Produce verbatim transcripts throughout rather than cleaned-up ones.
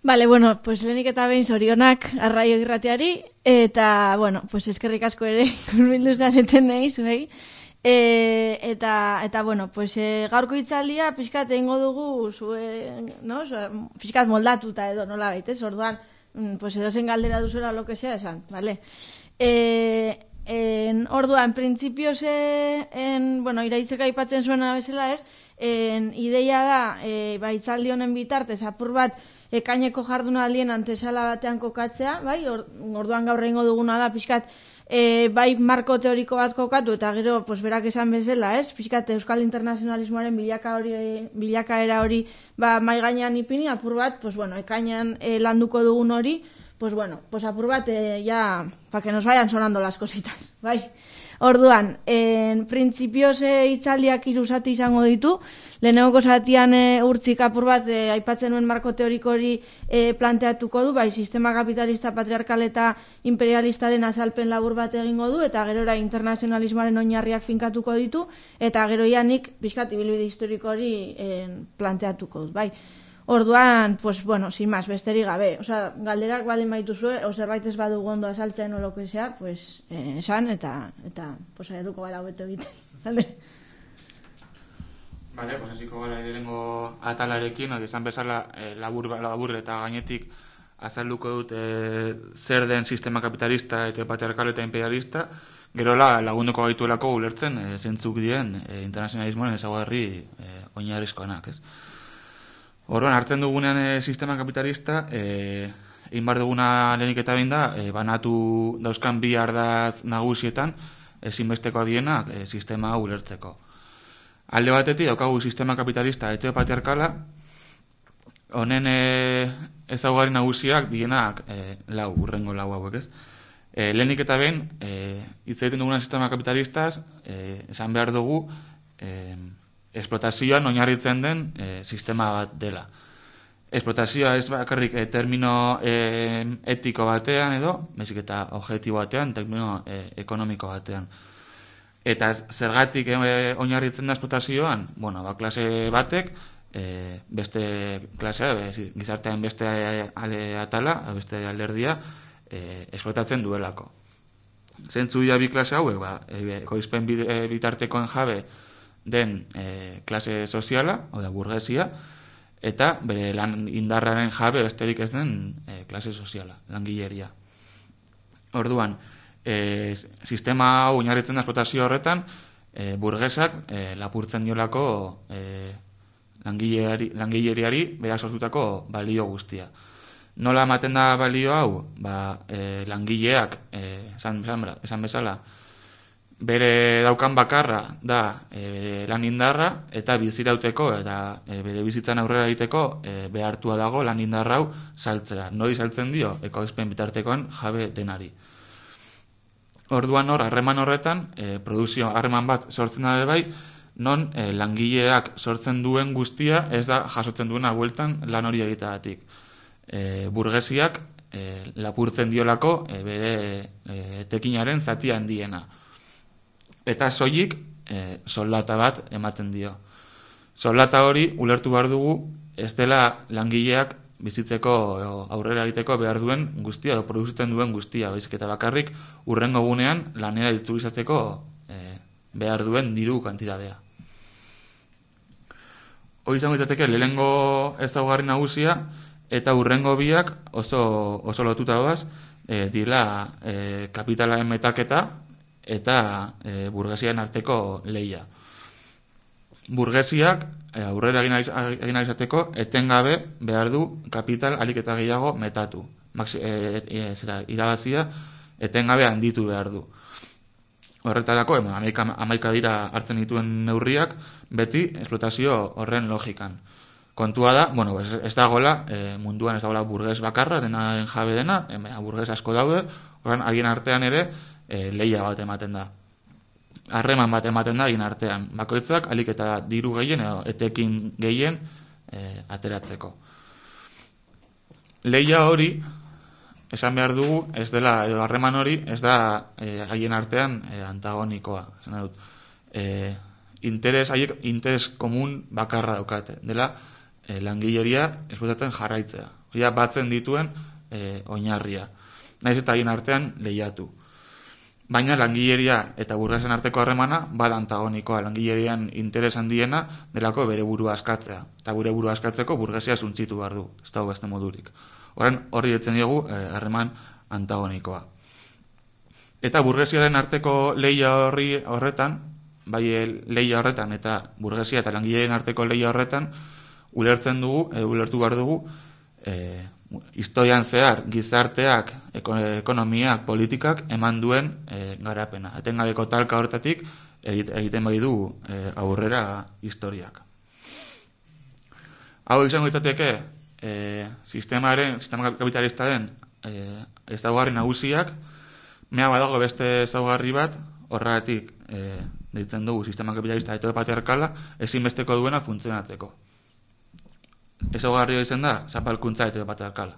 Vale, bueno, pues lehenik eta behin zorionak arraio irratiari, eta, bueno, pues eskerrik asko ere kurbildu zareten nahi, zuei. E, eta, eta, bueno, pues e, gaurko hitzaldia pixkat egingo dugu zuen, no? Pixkat moldatuta edo, nola baitez, orduan, pues edo zen galdera duzuela lo que sea esan, vale? E, en, orduan, printzipioz, en, bueno, iraitzeka aipatzen zuena bezala ez, en, ideia da, e, ba, hitzaldi honen bitartez, apur bat, ekaineko jardunaldien antesala batean kokatzea, bai, orduan gaur egingo duguna da, pixkat, e, bai marko teoriko bat kokatu, eta gero, pues, berak esan bezala, ez, pixkat, euskal internazionalismoaren bilaka hori, bilakaera hori, ba, mai gainean ipini, apur bat, pues, bueno, ekainean e, landuko dugun hori, pues, bueno, pues, apur bat, e, ya, pa que nos vayan sonando las cositas, bai. Orduan, en printzipioz e, hitzaldiak hiru zati izango ditu, lehenengoko zatian e, urtzik apur bat e, aipatzen nuen marko teoriko hori e, planteatuko du, bai, sistema kapitalista, patriarkal eta imperialistaren azalpen labur bat egingo du, eta gerora internazionalismoaren oinarriak finkatuko ditu, eta gero ianik pixkat ibilbide historiko hori e, planteatuko du, bai. Orduan, pues, bueno, sin más, besterik gabe. Osa, galderak baldin baituzue, o zerbait ez badugu ondo azaltzen o lo que sea, pues, eh, esan, eta, eta, pues, eduko gara hobeto egiten. Vale? Vale, pues, hasiko gara lehenengo atalarekin, esan bezala, eh, labur, labur eta gainetik azalduko dut eh, zer den sistema kapitalista eta patriarkal eta imperialista, gerola lagunduko gaituelako ulertzen eh, zentzuk dien eh, internazionalismoaren ezaugarri eh, oinarrizkoenak, ez? Orduan, hartzen dugunean e, sistema kapitalista, e, egin bar duguna lehenik eta behin da, e, banatu dauzkan bi ardatz nagusietan, ezinbesteko dienak e, sistema hau ulertzeko. Alde batetik, daukagu sistema kapitalista heteropatriarkala, honen e, ezaugarri nagusiak dienak e, lau, urrengo lau hauek ez. E, lehenik eta behin, e, hitz egiten duguna sistema kapitalistaz, e, esan behar dugu, e, esplotazioan oinarritzen den e, sistema bat dela. Esplotazioa ez bakarrik e, termino e, etiko batean edo, bezik eta objektibo batean, termino e, ekonomiko batean. Eta zergatik e, oinarritzen da esplotazioan, bueno, ba, klase batek, e, beste klasea, be, gizartean beste ale atala, beste alderdia, e, esplotatzen duelako. Zentzu dira bi klase hauek, ba, e, ekoizpen bitartekoen jabe, den e, klase soziala, hau da burgesia, eta bere lan indarraren jabe besterik ez den e, klase soziala, langileria. Orduan, e, sistema hau oinarritzen da esplotazio horretan, e, burgesak e, lapurtzen diolako e, langileari, langileriari berak sortutako balio guztia. Nola ematen da balio hau? Ba, e, langileak, e, esan, esan, esan bezala, bere daukan bakarra da e, bere lan indarra eta bizirauteko eta e, bere bizitzan aurrera egiteko e, behartua dago lan indarra hau saltzera. Nori saltzen dio? Ekoizpen bitartekoen jabe denari. Orduan hor, harreman horretan, e, produzio harreman bat sortzen da bai, non e, langileak sortzen duen guztia ez da jasotzen duena bueltan lan hori egiteagatik. E, burgesiak e, lapurtzen diolako e, bere e, etekinaren zati handiena. Eta soilik e, soldata bat ematen dio. Soldata hori ulertu behar dugu ez dela langileak bizitzeko aurrera egiteko behar duen guztia edo produzitzen duen guztia, baizik eta bakarrik urrengo gunean lanera ditu izateko e, behar duen diru kantitatea. Hoi izango izateke lehengo ezaugarri nagusia eta urrengo biak oso, oso lotuta doaz e, dira e, kapitalaren metaketa eta e, burgesian arteko lehia. Burgesiak e, aurrera egin izateko etengabe behar du kapital alik eta gehiago metatu. Maxi, e, e, zera, irabazia etengabe handitu behar du. Horretarako, ema, amaika, amaika dira hartzen dituen neurriak, beti esplotazio horren logikan. Kontua da, bueno, ez, ez dagoela, e, munduan ez dagoela burges bakarra, denaren jabe dena, e, burges asko daude, horren agien artean ere, E, lehia bat ematen da. Harreman bat ematen da egin artean. Bakoitzak alik eta diru gehien edo etekin gehien e, ateratzeko. Lehia hori, esan behar dugu, ez dela, edo harreman hori, ez da e, haien artean e, antagonikoa. Esan dut, e, interes, haiek interes komun bakarra daukate. Dela, e, langileria esplotatzen jarraitzea. Hori batzen dituen e, oinarria. Naiz eta haien artean lehiatu. Baina langileria eta burgesen arteko harremana bada antagonikoa. Langilerian interes handiena delako bere burua askatzea. Eta bere burua askatzeko burgesia suntzitu behar du. Ez dago beste modurik. Horren horri ditzen diogu harreman antagonikoa. Eta burgesiaren arteko lehia horri horretan, bai lehia horretan eta burgesia eta langileen arteko lehia horretan, ulertzen dugu, e, ulertu behar dugu, e, historian zehar gizarteak, ekonomiak, politikak eman duen e, garapena. Etengabeko talka horretatik egiten bai du e, aurrera historiak. Hau izango izateke e, sistemaren, sistema kapitalistaren e, ezaugarri nagusiak, mea badago beste ezaugarri bat, horregatik e, deitzen dugu sistema kapitalista heteropatriarkala ezinbesteko duena funtzionatzeko. Ezaugarria izan da, zapalkuntza heteropatriarkala.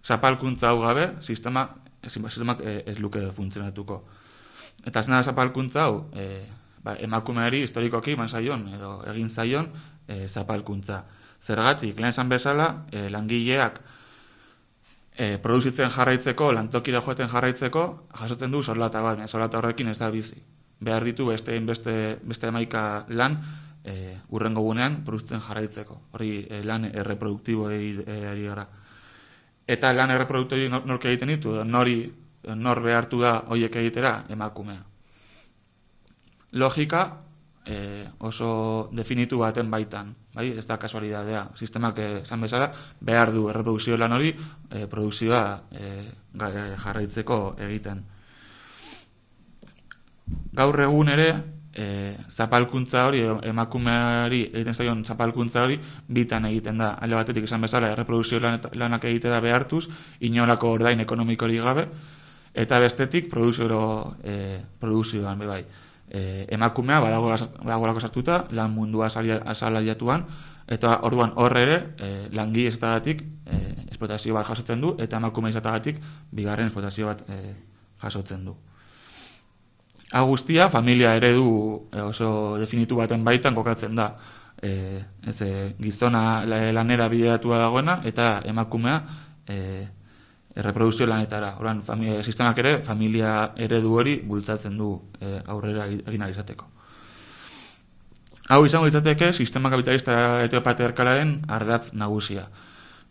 Zapalkuntza hau gabe, sistema, sistemak ez luke funtzionatuko. Eta zena zapalkuntza hau, e, ba, emakumeari historikoki eman zaion, edo egin zaion e, zapalkuntza. Zergatik, lehen esan bezala, e, langileak e, produzitzen jarraitzeko, lantokira joeten jarraitzeko, jasotzen du soldata bat, soldata horrekin ez da bizi. Behar ditu beste, beste, beste emaika lan, E, urrengo gunean produzitzen jarraitzeko. Hori e, lan erreproduktiboei e, ari gara. Eta lan erreproduktiboei nor, nork egiten ditu, nori, nor behartu da horiek egitera emakumea. Logika e, oso definitu baten baitan, bai? Ez da kasualidadea. Sistemak esan bezala behar du erreprodukzio lan hori e, produkzioa e, jarraitzeko egiten. Gaur egun ere E, zapalkuntza hori, emakumeari egiten zaion zapalkuntza hori bitan egiten da. Alde batetik esan bezala erreprodukzio lanak egitera behartuz, inolako ordain ekonomikori gabe, eta bestetik produzio e, produzioan bai. E, emakumea badagolako sartuta, lan mundua asalaiatuan, eta orduan horre ere e, langile izatagatik e, esplotazio bat jasotzen du, eta emakume izatagatik bigarren esplotazio bat e, jasotzen du. Hau guztia, familia eredu oso definitu baten baitan kokatzen da. E, ez, e, gizona lanera bideratua dagoena eta emakumea e, erreprodukzio lanetara. Horan, familia, sistemak ere familia eredu hori bultzatzen du e, aurrera egin izateko. Hau izango izateke sistema kapitalista heteropatriarkalaren ardatz nagusia.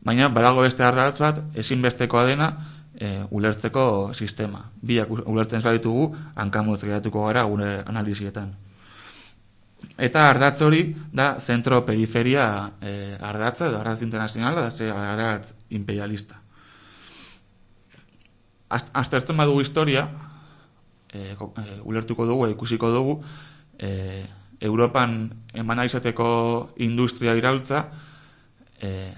Baina badago beste ardatz bat ezinbestekoa dena E, ulertzeko sistema. Biak ulertzen ez baditugu, hankamotz geratuko gara gure analizietan. Eta ardatz hori da zentro-periferia e, ardatza, edo ardatz internazionala, da ze ardatz imperialista. Aztertzen badugu historia, e, e, ulertuko dugu, ikusiko dugu, e, Europan eman izateko industria iraultza e,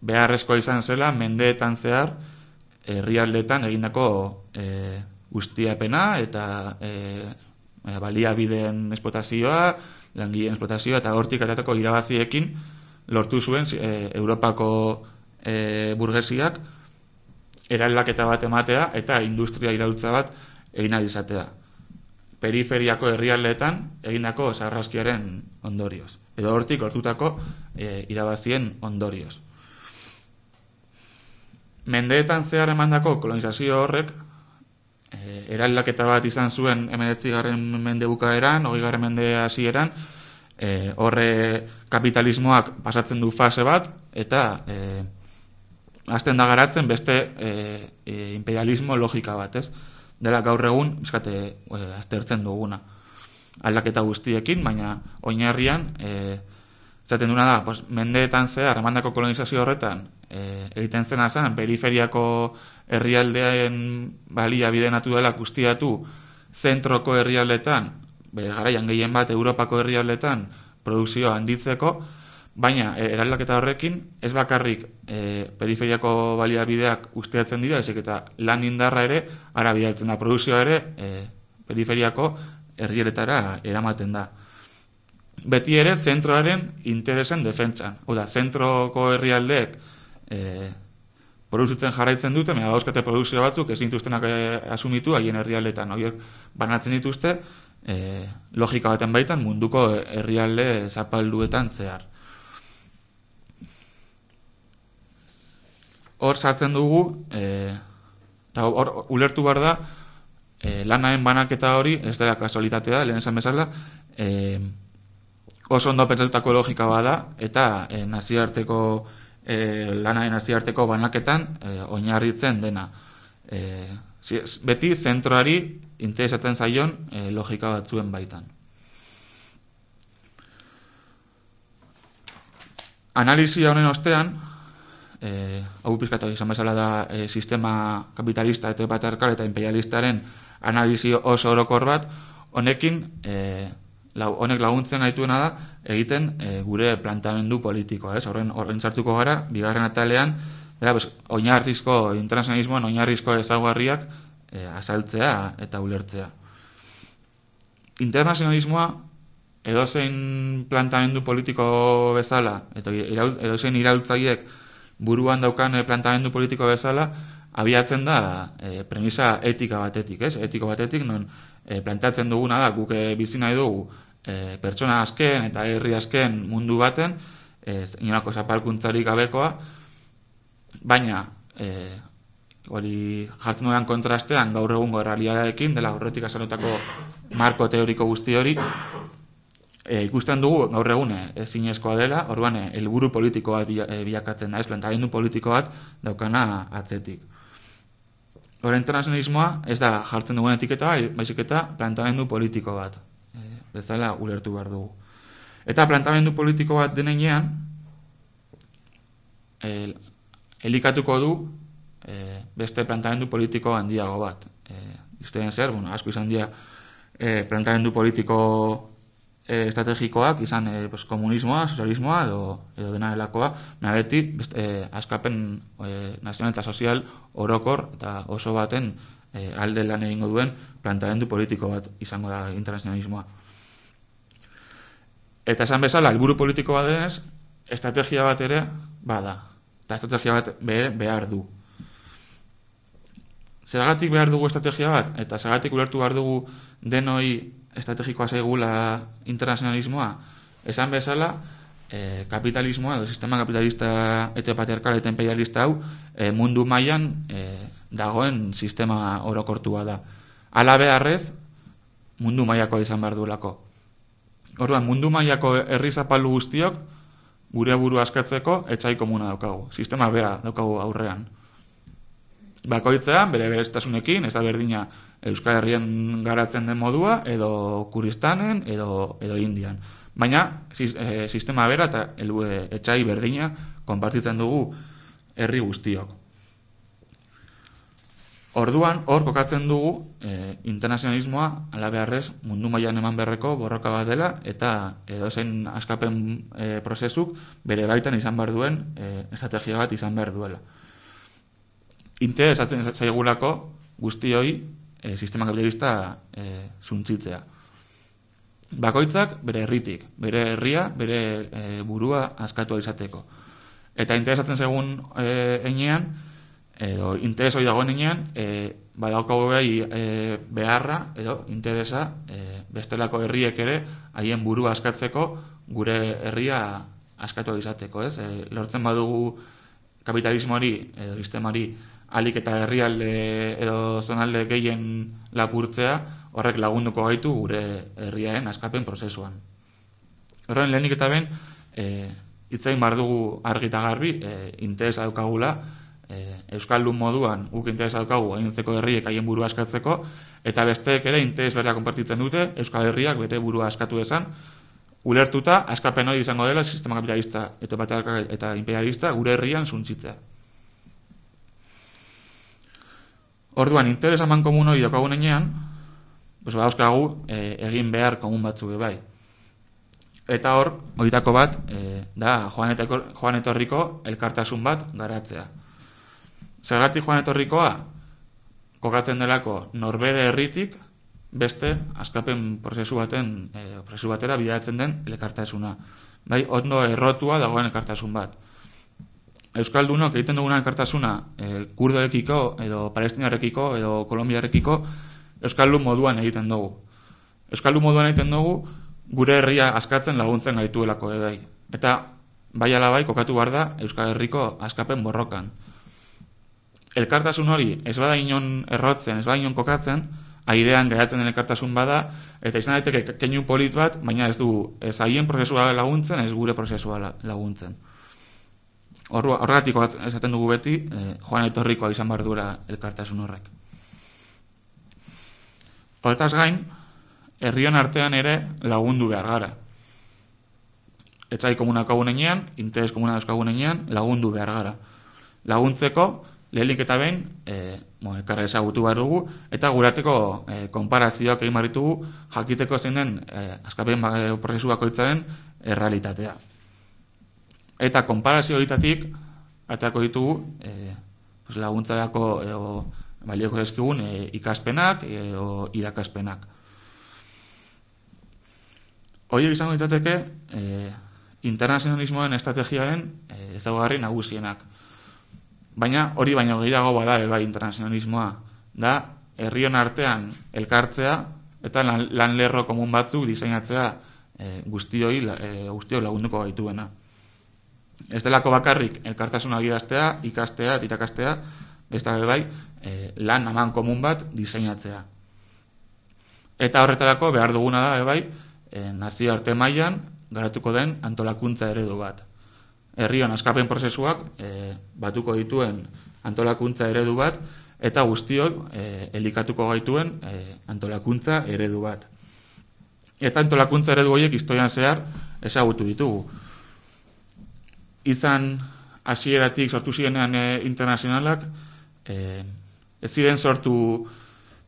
beharrezkoa izan zela, mendeetan zehar, herrialdetan egindako e, ustiapena eta e, baliabideen esplotazioa, langileen esplotazioa eta hortik atatako irabaziekin lortu zuen e, Europako e, burgesiak eraldaketa bat ematea eta industria iraultza bat egin ahal izatea. Periferiako herrialdeetan egindako sarraskiaren ondorioz. Edo hortik lortutako e, irabazien ondorioz. Mendeetan zehar emandako kolonizazio horrek e, eraldaketa bat izan zuen hemeretzigarren mende bukaeran, hogeigarren mende hasieran, e, horre kapitalismoak pasatzen du fase bat eta e, hasten da garatzen beste e, e, imperialismo logika bat, ez? Dela gaur egun, eskate, e, aztertzen duguna. Aldaketa guztiekin, baina oinarrian e, zaten duna da, pues, mendeetan zehar emandako kolonizazio horretan E, egiten zena zen, periferiako herrialdean balia bide naturalak guztiatu zentroko herrialdetan, bere garaian gehien bat Europako herrialdetan produkzioa handitzeko, baina e, eraldaketa horrekin ez bakarrik e, periferiako baliabideak usteatzen dira, ezik eta lan indarra ere ara bidaltzen da, produkzioa ere e, periferiako herrialdeetara eramaten da. Beti ere zentroaren interesen defentsan. Oda, zentroko herrialdeek E, produzitzen jarraitzen dute, mea dauzkate produkzio batzuk ezin dituztenak e, asumitu haien herrialdetan. Horiek banatzen dituzte e, logika baten baitan munduko herrialde zapalduetan zehar. hor sartzen dugu, e, eta hor ulertu behar da, e, lanaren banaketa hori, ez dela kasualitatea, lehen esan bezala, e, oso ondo pentsatutako logika bada, eta e, nazioarteko, e, lanaren nazioarteko banaketan e, oinarritzen dena. E, beti zentroari interesatzen zaion e, logika batzuen baitan. Analizia honen ostean, eh, hau pizkatu izan bezala da eh, sistema kapitalista eta patriarkal eta imperialistaren analizi oso orokor bat, honekin eh, lau, honek laguntzen gaituena da egiten eh, gure planteamendu politikoa, ez? Horren horren sartuko gara, bigarren atalean, dela, pues, oinarrizko internazionalismoan oinarrizko ezaugarriak eh, azaltzea eta ulertzea. Internazionalismoa edozein plantamendu politiko bezala, eta edozein iraultzaiek buruan daukan plantamendu politiko bezala, abiatzen da e, premisa etika batetik, ez? Etiko batetik, non e, planteatzen duguna da, guk e, bizi nahi dugu e, pertsona azken eta herri azken mundu baten, e, inolako zapalkuntzarik gabekoa, baina e, hori jartzen dudan kontrastean gaur egungo errealitateekin, dela horretik azalutako marko teoriko guzti hori, E, ikusten dugu gaur egune ezinezkoa dela, orduan helburu politiko bat bilakatzen da, ez plantamendu politiko bat daukana atzetik. Hor internazionalismoa ez da jartzen dugun etiketa, baizik eta plantamendu politiko bat, e, bezala ulertu behar dugu. Eta plantamendu politiko bat denean, e, elikatuko du e, beste plantamendu politiko handiago bat. E, Izten zer, bueno, asko izan dira e, plantamendu politiko estrategikoak, izan e, pues, komunismoa, sozialismoa edo, edo dena delakoa, mea beti e, askapen e, nazional eta sozial orokor eta oso baten e, alde lan egingo duen plantamendu politiko bat izango da internazionalismoa. Eta esan bezala, helburu politiko bat denez, estrategia bat ere bada. Eta estrategia bat be, behar du. Zergatik behar dugu estrategia bat? Eta zergatik ulertu behar dugu denoi estrategikoa zaigula internazionalismoa, esan bezala, eh, kapitalismoa, edo sistema kapitalista eta patriarkal eta imperialista hau, eh, mundu mailan eh, dagoen sistema orokortua da. Hala beharrez, mundu mailakoa izan behar duelako. Orduan, mundu mailako herri zapaldu guztiok, gure buru askatzeko etxai komuna daukagu. Sistema bera daukagu aurrean. Bakoitzean, bere bereztasunekin, ez da berdina Euskal Herrian garatzen den modua, edo Kuristanen, edo, edo Indian. Baina, e, sistema bera eta e, etxai berdina konpartitzen dugu herri guztiok. Orduan, hor kokatzen dugu e, internazionalismoa, ala beharrez, mundu mailan eman beharreko borroka bat dela, eta edozein askapen e, prozesuk bere baitan izan behar duen e, estrategia bat izan behar duela. Interesatzen zaigulako guztioi e, sistema kapitalista e, zuntzitzea. Bakoitzak bere herritik, bere herria, bere e, burua askatu izateko. Eta interesatzen zaigun e, enean, edo interes hori dagoen enean, e, badaukagu behi e, beharra, edo interesa e, bestelako herriek ere haien burua askatzeko gure herria askatu izateko. Ez? E, lortzen badugu kapitalismoari, edo sistemari, alik eta herrialde edo zonalde gehien lapurtzea, horrek lagunduko gaitu gure herriaren askapen prozesuan. Horren lehenik eta ben, e, itzain bar dugu argi eta garbi, e, interesa daukagula, e, Euskaldun moduan guk interesa daukagu gainontzeko herriek haien burua askatzeko, eta besteek ere interes berea konpartitzen dute, Euskal Herriak bere burua askatu dezan, ulertuta askapen hori izango dela sistema kapitalista eta patriarkal eta imperialista gure herrian zuntzitzea. Orduan, interes aman komun hori daukagun enean, pues, badauzkagu e, egin behar komun batzuk bai. Eta hor, horietako bat, e, da joan, eteko, joan etorriko elkartasun bat garatzea. Zergatik joan etorrikoa, kokatzen delako norbere herritik, beste askapen prozesu baten, e, prozesu batera bideratzen den elkartasuna. Bai, ondo errotua dagoen elkartasun bat. Euskaldunok egiten duguna elkartasuna e, kurdorekiko, edo palestinarekiko, edo kolombiarekiko, Euskaldun moduan egiten dugu. Euskaldun moduan egiten dugu, gure herria askatzen laguntzen gaituelako ebai. Eta bai ala bai kokatu behar da Euskal Herriko askapen borrokan. elkartasun hori ez bada inon errotzen, ez bada inon kokatzen, airean geratzen den elkartasun bada, eta izan daiteke keinu polit bat, baina ez du ez haien prozesua laguntzen, ez gure prozesua laguntzen. Horregatik esaten dugu beti, eh, joan etorrikoa izan behar duela elkartasun horrek. Horretaz gain, herrion artean ere lagundu behar gara. Etzai komunak agunenean, interes komunak agunenean, lagundu behar gara. Laguntzeko, lehenik eta behin, e, bo, ekarra ezagutu behar dugu, eta gure arteko e, konparazioak egin barritugu, jakiteko zein den e, askapen prozesu bakoitzaren errealitatea. Eta konparazio horitatik, atako ditugu, e, pues, laguntzarako e, balioko zezkigun e, ikaspenak e, o irakaspenak. Horiek izango ditateke, e, internazionalismoen estrategiaren e, ezaugarri nagusienak. Baina hori baino gehiago bada bai internazionalismoa, da herrion artean elkartzea eta lan, lan lerro komun batzuk diseinatzea e, guztioi, e, guztioi lagunduko gaituena. Ez delako bakarrik elkartasuna adieraztea, ikastea, irakastea, besta bai e, lan aman komun bat diseinatzea. Eta horretarako behar duguna da bai e, nazio arte mailan garatuko den antolakuntza eredu bat. Herrion askapen prozesuak e, batuko dituen antolakuntza eredu bat, eta guztiok e, elikatuko gaituen e, antolakuntza eredu bat. Eta antolakuntza eredu horiek historian zehar ezagutu ditugu. Izan hasieratik sortu zirenean e, internazionalak, e, ez ziren sortu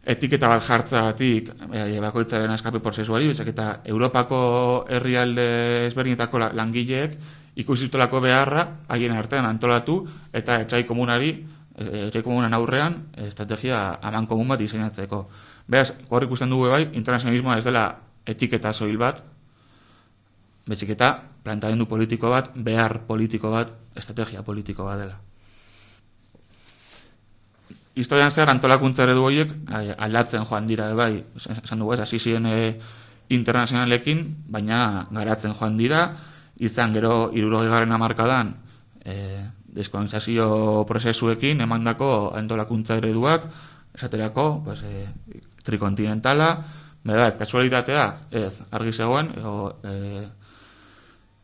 etiketa bat jartzagatik e, bakoitzaren askapen prozesuari, bezak eta Europako herrialde ezberdinetako langileek ikusitolako beharra haien artean antolatu eta etxai komunari, etxai komunan aurrean estrategia aman komun bat diseinatzeko. Beraz, hor ikusten dugu bai, internazionalismoa ez dela etiketa soil bat, bezik eta plantamendu politiko bat, behar politiko bat, estrategia politiko bat dela. Historian zer antolakuntza eredu horiek aldatzen joan dira bai, esan dugu ez, hasi ziren internazionalekin, baina garatzen joan dira, izan gero hirurogeigarren hamarkadan e, deskolonizazio prozesuekin emandako antolakuntza ereduak, esaterako pues, e, trikontinentala, bera, kasualitatea, ez, argi zegoen, ego, e,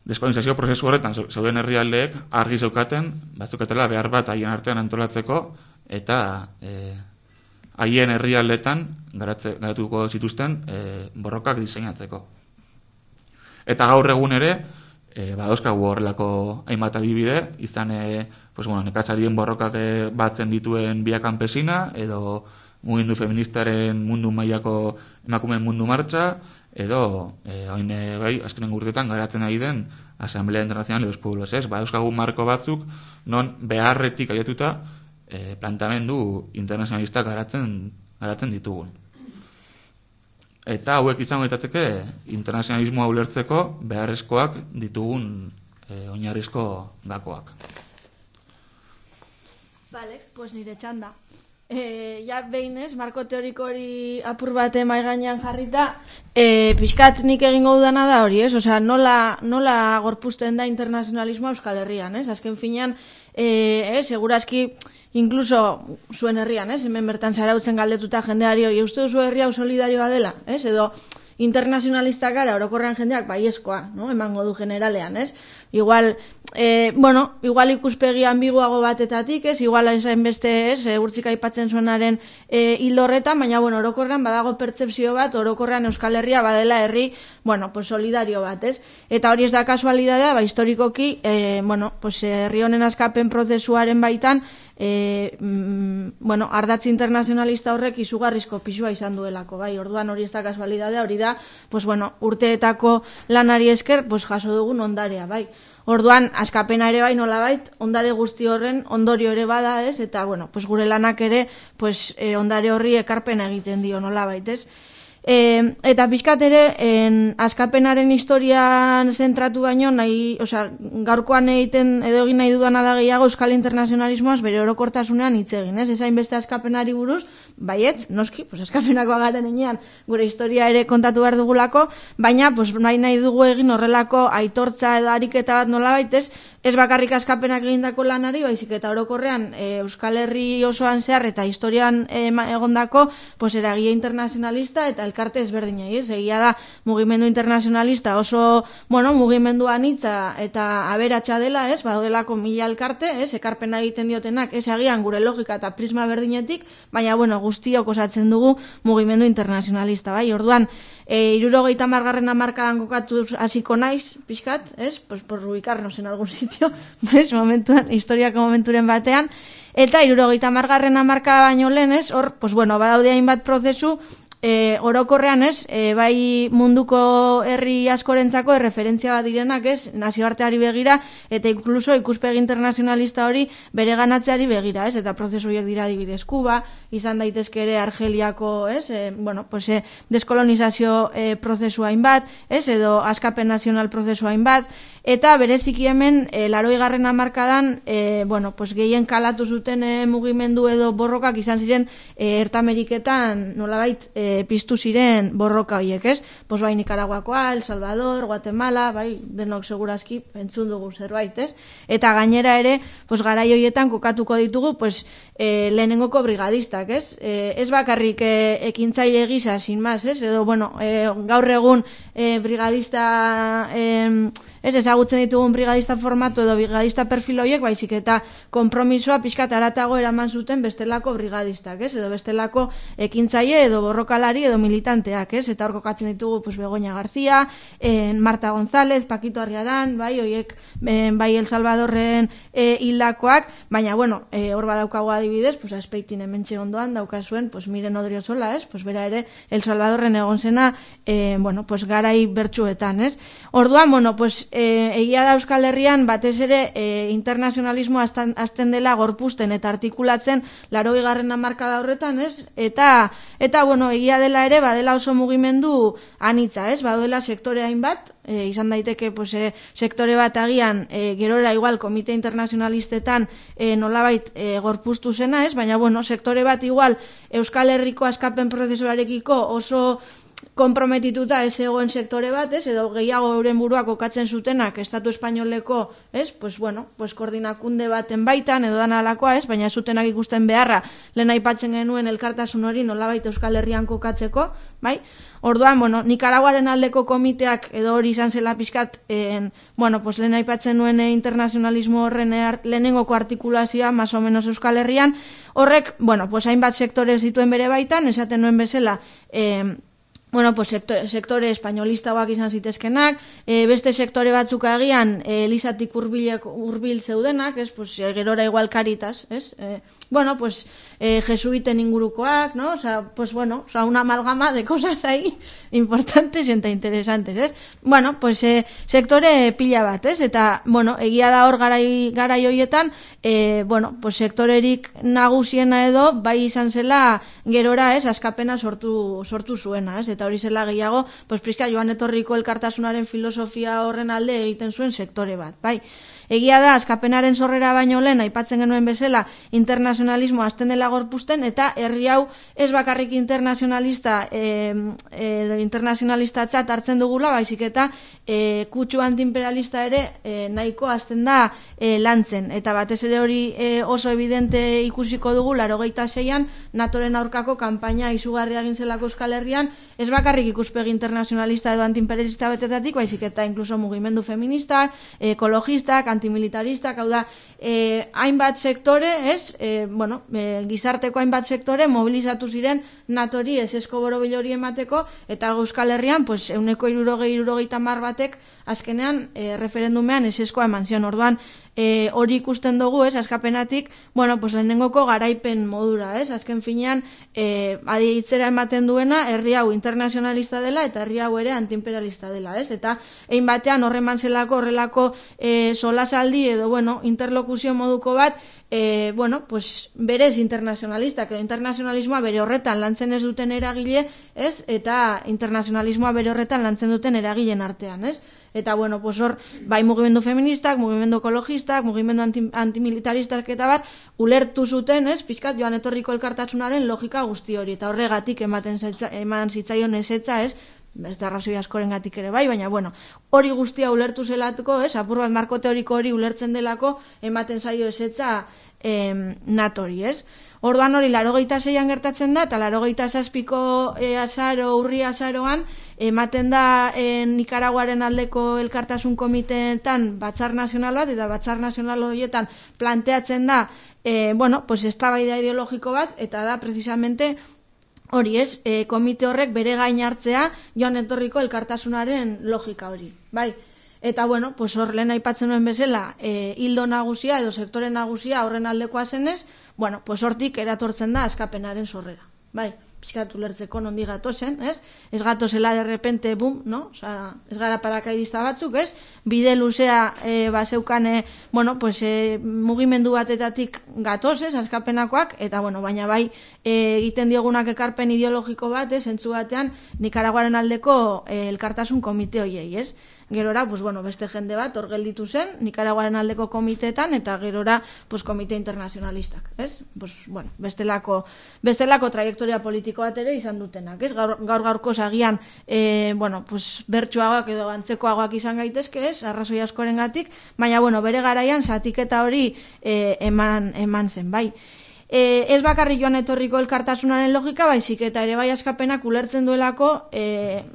deskolonizazio prozesu horretan zeuden herrialdeek argi zeukaten, batzukatela behar bat haien artean antolatzeko, eta e, haien herrialdetan garatze, garatuko zituzten e, borrokak diseinatzeko. Eta gaur egun ere, E, badauzkagu horrelako hainbat adibide, izan e, pues, bueno, nekazarien borrokak e, batzen dituen Via Campesina, edo mugimendu feministaren mundu mailako emakumeen mundu martxa, edo e, hain e, bai, azkenen urtetan garatzen ari den Asamblea Internacional de los Pueblos, ez? Badauzkagu marko batzuk, non beharretik aietuta e, plantamendu internazionalista garatzen, garatzen ditugun. Eta hauek izango ditatzeke internazionalismoa ulertzeko beharrezkoak ditugun e, oinarrizko gakoak. Vale, pues nire txanda. E, ja behinez, marko teoriko hori apur bate mai gainean jarrita, e, pixkat nik egingo dudana da hori, ez? Osea, nola, nola gorpuzten da internazionalismoa Euskal Herrian, ez? Azken finean, e, eh, segurazki, incluso zuen herrian, ez? Hemen bertan zarautzen galdetuta jendeari, oi, uste duzu herri hau solidarioa dela, ez? Edo internazionalistak gara, orokorrean jendeak baiezkoa, no? Emango du generalean, ez? Igual, eh, bueno, igual ikuspegi ambiguago batetatik, ez? Igual hain beste, ez? E, urtsika aipatzen zuenaren e, hilorretan, baina, bueno, orokorrean badago pertzepzio bat, orokorrean Euskal Herria badela herri, bueno, pues solidario bat, ez? Eta hori ez da kasualidadea, ba, historikoki, e, bueno, pues herri honen askapen prozesuaren baitan, E, mm, bueno, ardatz internazionalista horrek izugarrizko pisua izan duelako, bai, orduan hori ez da kasualidadea, hori da, pues bueno, urteetako lanari esker, pues jaso dugun ondarea, bai. Orduan, askapena ere bai nolabait, ondare guzti horren ondorio ere bada, ez? Eta, bueno, pues gure lanak ere, pues e, ondare horri ekarpena egiten dio nolabait, ez? E, eta pixkat ere, en, askapenaren historian zentratu baino, nahi, osea, gaurkoan egiten edo egin nahi dudana da gehiago euskal internazionalismoaz bere orokortasunean hitz egin, ez? Ezain beste askapenari buruz, baietz, noski, pues askapenakoa garen enean, gure historia ere kontatu behar dugulako, baina, pues, nahi nahi dugu egin horrelako aitortza edo ariketa bat nolabait, ez? Ez bakarrik askapenak egindako lanari, baizik eta orokorrean e, Euskal Herri osoan zehar eta historian e, egondako pues, eragia internazionalista eta elkarte ezberdinei, ez? Egia da mugimendu internazionalista oso, bueno, mugimendu anitza eta aberatsa dela, ez? Badaudelako mila elkarte, ez? Ekarpena egiten diotenak, ez agian gure logika eta prisma berdinetik, baina, bueno, guztiok osatzen dugu mugimendu internazionalista, bai? Orduan, e, hirurogeita hamargarren hamarkadan kokatuz hasiko naiz, pixkat, ez? Pues por ubicarnos en algún sitio, bez, momentuan, historiako momenturen batean, eta hirurogeita hamargarren hamarka baino lehen, ez? Hor, pues bueno, badaude hainbat prozesu, E, orokorrean ez, e, bai munduko herri askorentzako erreferentzia bat direnak ez, nazioarteari begira eta inkluso ikuspegi internazionalista hori bere ganatzeari begira ez, eta prozesu horiek dira adibidez Kuba, izan daitezke ere Argeliako ez, e, bueno, pues, e, deskolonizazio e, prozesu hainbat, ez, edo askapen nazional prozesu hainbat, eta bereziki hemen e, laroigarren hamarkadan e, bueno, pues, gehien kalatu zuten e, mugimendu edo borrokak izan ziren e, Ertameriketan nolabait e, piztu ziren borroka horiek, ez? Pues bai Nikaraguakoa, El Salvador, Guatemala, bai, denok segurazki entzun dugu zerbait, ez? Eta gainera ere, pues garai horietan kokatuko ditugu, pues e, lehenengoko brigadistak, ez? E, ez bakarrik e, ekintzaile gisa, sin más, ez? Edo, bueno, e, gaur egun e, brigadista e, ez ezagutzen ditugun brigadista formatu edo brigadista perfil horiek, baizik eta konpromisoa pixkat aratago eraman zuten bestelako brigadistak, ez? Edo bestelako ekintzaile edo borrokalari edo militanteak, ez? Eta hor kokatzen ditugu pues, Begoña García, en Marta González, Paquito Arriaran, bai, horiek en, bai El Salvadorren e, hildakoak, baina, bueno, e, hor badaukago adibidez, pues, Azpeitin hementxe ondoan daukazuen, pues, Miren Odriozola, ez? Pues, bera ere El Salvadorren egon zena, e, bueno, pues, garai bertsuetan, ez? Orduan, bueno, pues, e, egia da Euskal Herrian batez ere e, internazionalismo azten dela gorpuzten eta artikulatzen laroigarren hamarkada horretan, ez? Eta, eta bueno, egia dela ere, badela oso mugimendu anitza, ez? Badela sektore hainbat, e, izan daiteke pues, e, sektore bat agian e, gerora igual komite internazionalistetan e, nolabait e, gorpuztu zena, ez? Baina, bueno, sektore bat igual Euskal Herriko askapen prozesuarekiko oso konprometituta ez egoen sektore bat, ez, edo gehiago euren buruak kokatzen zutenak Estatu Espainoleko, ez, pues bueno, pues koordinakunde baten baitan edo dana alakoa, ez, baina zutenak ikusten beharra lehen aipatzen genuen elkartasun hori nolabait Euskal Herrian kokatzeko, bai? Orduan, bueno, Nikaraguaren aldeko komiteak edo hori izan zela pixkat, en, bueno, pues lehen aipatzen nuen internazionalismo horren lehenengoko artikulazioa, más o menos Euskal Herrian, horrek, bueno, pues hainbat sektore zituen bere baitan, esaten nuen bezala, eh, bueno, pues sektore, sektore espainolistagoak izan zitezkenak, e, beste sektore batzuk agian e, Elizatik hurbilek hurbil zeudenak, ez, pues gerora igual Caritas, ez? E, bueno, pues e, jesuiten ingurukoak, ¿no? O sea, pues bueno, o sea, una amalgama de cosas ahí importantes eta interesantes, ez? Bueno, pues e, sektore pila bat, ez? Eta, bueno, egia da hor garai garai hoietan, e, bueno, pues sektorerik nagusiena edo bai izan zela gerora, ez, askapena sortu sortu zuena, ez? Eta hori zela gehiago, pues prizka joan etorriko elkartasunaren filosofia horren alde egiten zuen sektore bat, bai. Egia da, askapenaren sorrera baino lehen, aipatzen genuen bezala, internazionalismo azten dela gorpuzten, eta herri hau ez bakarrik internazionalista e, e, internazionalista txat hartzen dugula, baizik eta e, kutsu antiimperialista ere e, nahiko azten da e, lantzen. Eta batez ere hori e, oso evidente ikusiko dugu, larogeita seian, NATOren aurkako kanpaina izugarria egin zelako Euskal Herrian, ez bakarrik ikuspegi internazionalista edo antiimperialista betetatik, baizik eta inkluso mugimendu feminista, ekologistak, antimilitaristak, hau da, eh, hainbat sektore, ez, eh, bueno, eh, gizarteko hainbat sektore mobilizatu ziren natori esesko borobil hori emateko, eta Euskal Herrian, pues, euneko irurogei, irurogeita mar batek, azkenean, eh, referendumean eseskoa eman zion. Orduan, e, hori ikusten dugu, ez, askapenatik, bueno, pues lehenengoko garaipen modura, ez, azken finean, e, aditzera ematen duena, herri hau internazionalista dela, eta herri hau ere antiimperialista dela, ez, eta egin batean horreman zelako, horrelako e, solasaldi, edo, bueno, interlokuzio moduko bat, E, bueno, pues berez internazionalistak, edo internazionalismoa bere horretan lantzen ez duten eragile, ez? Eta internazionalismoa bere horretan lantzen duten eragileen artean, ez? Eta, bueno, pues hor, bai mugimendu feministak, mugimendu ekologistak, mugimendu anti, antimilitaristak eta bat, ulertu zuten, ez? Pizkat joan etorriko elkartasunaren logika guzti hori, eta horregatik ematen zaitza, eman zitzaion ezetza, ez? Ez da arrazoi askoren gatik ere bai, baina, bueno, hori guztia ulertu zelatuko, ez, apur bat marko teoriko hori ulertzen delako, ematen zaio ezetza em, natori, ez. Orduan hori, larogeita zeian gertatzen da, eta larogeita zazpiko e, azaro, urri azaroan, ematen da e, Nikaraguaren aldeko elkartasun komiteetan batzar nazional bat, eta batzar nazional horietan planteatzen da, e, bueno, pues eztabaida ideologiko bat, eta da, precisamente, hori ez, e, komite horrek bere gain hartzea joan etorriko elkartasunaren logika hori, bai. Eta, bueno, pues hor lehen aipatzen nuen bezala, e, hildo nagusia edo sektore nagusia horren aldekoa zenez, bueno, pues hortik eratortzen da askapenaren sorrera, bai. Pizkatu lertzeko nondi gatozen, ez? Ez gatozela de repente, bum, no? Osa, ez gara parakaidista batzuk, ez? Bide luzea, e, bazeukane, bueno, pues, e, mugimendu batetatik gatoz, ez? Askapenakoak, eta, bueno, baina bai, e, egiten diogunak ekarpen ideologiko bat, ez? Entzu batean, Nikaraguaren aldeko e, elkartasun komite hoiei, ez? Gerora, pues, bueno, beste jende bat, hor gelditu zen, Nikaraguaren aldeko komiteetan, eta gerora, pues, komite internazionalistak, ez? Pues, bueno, bestelako, bestelako trajektoria politiko bat ere izan dutenak, ez? Gaur, gaur gaurko zagian, e, bueno, pues, bertsuagoak edo antzekoagoak izan gaitezke, ez? Arrazoi askorengatik, baina, bueno, bere garaian zatiketa hori e, eman, eman zen, bai. E, ez bakarri joan etorriko elkartasunaren logika, baizik eta ere bai askapenak ulertzen duelako e,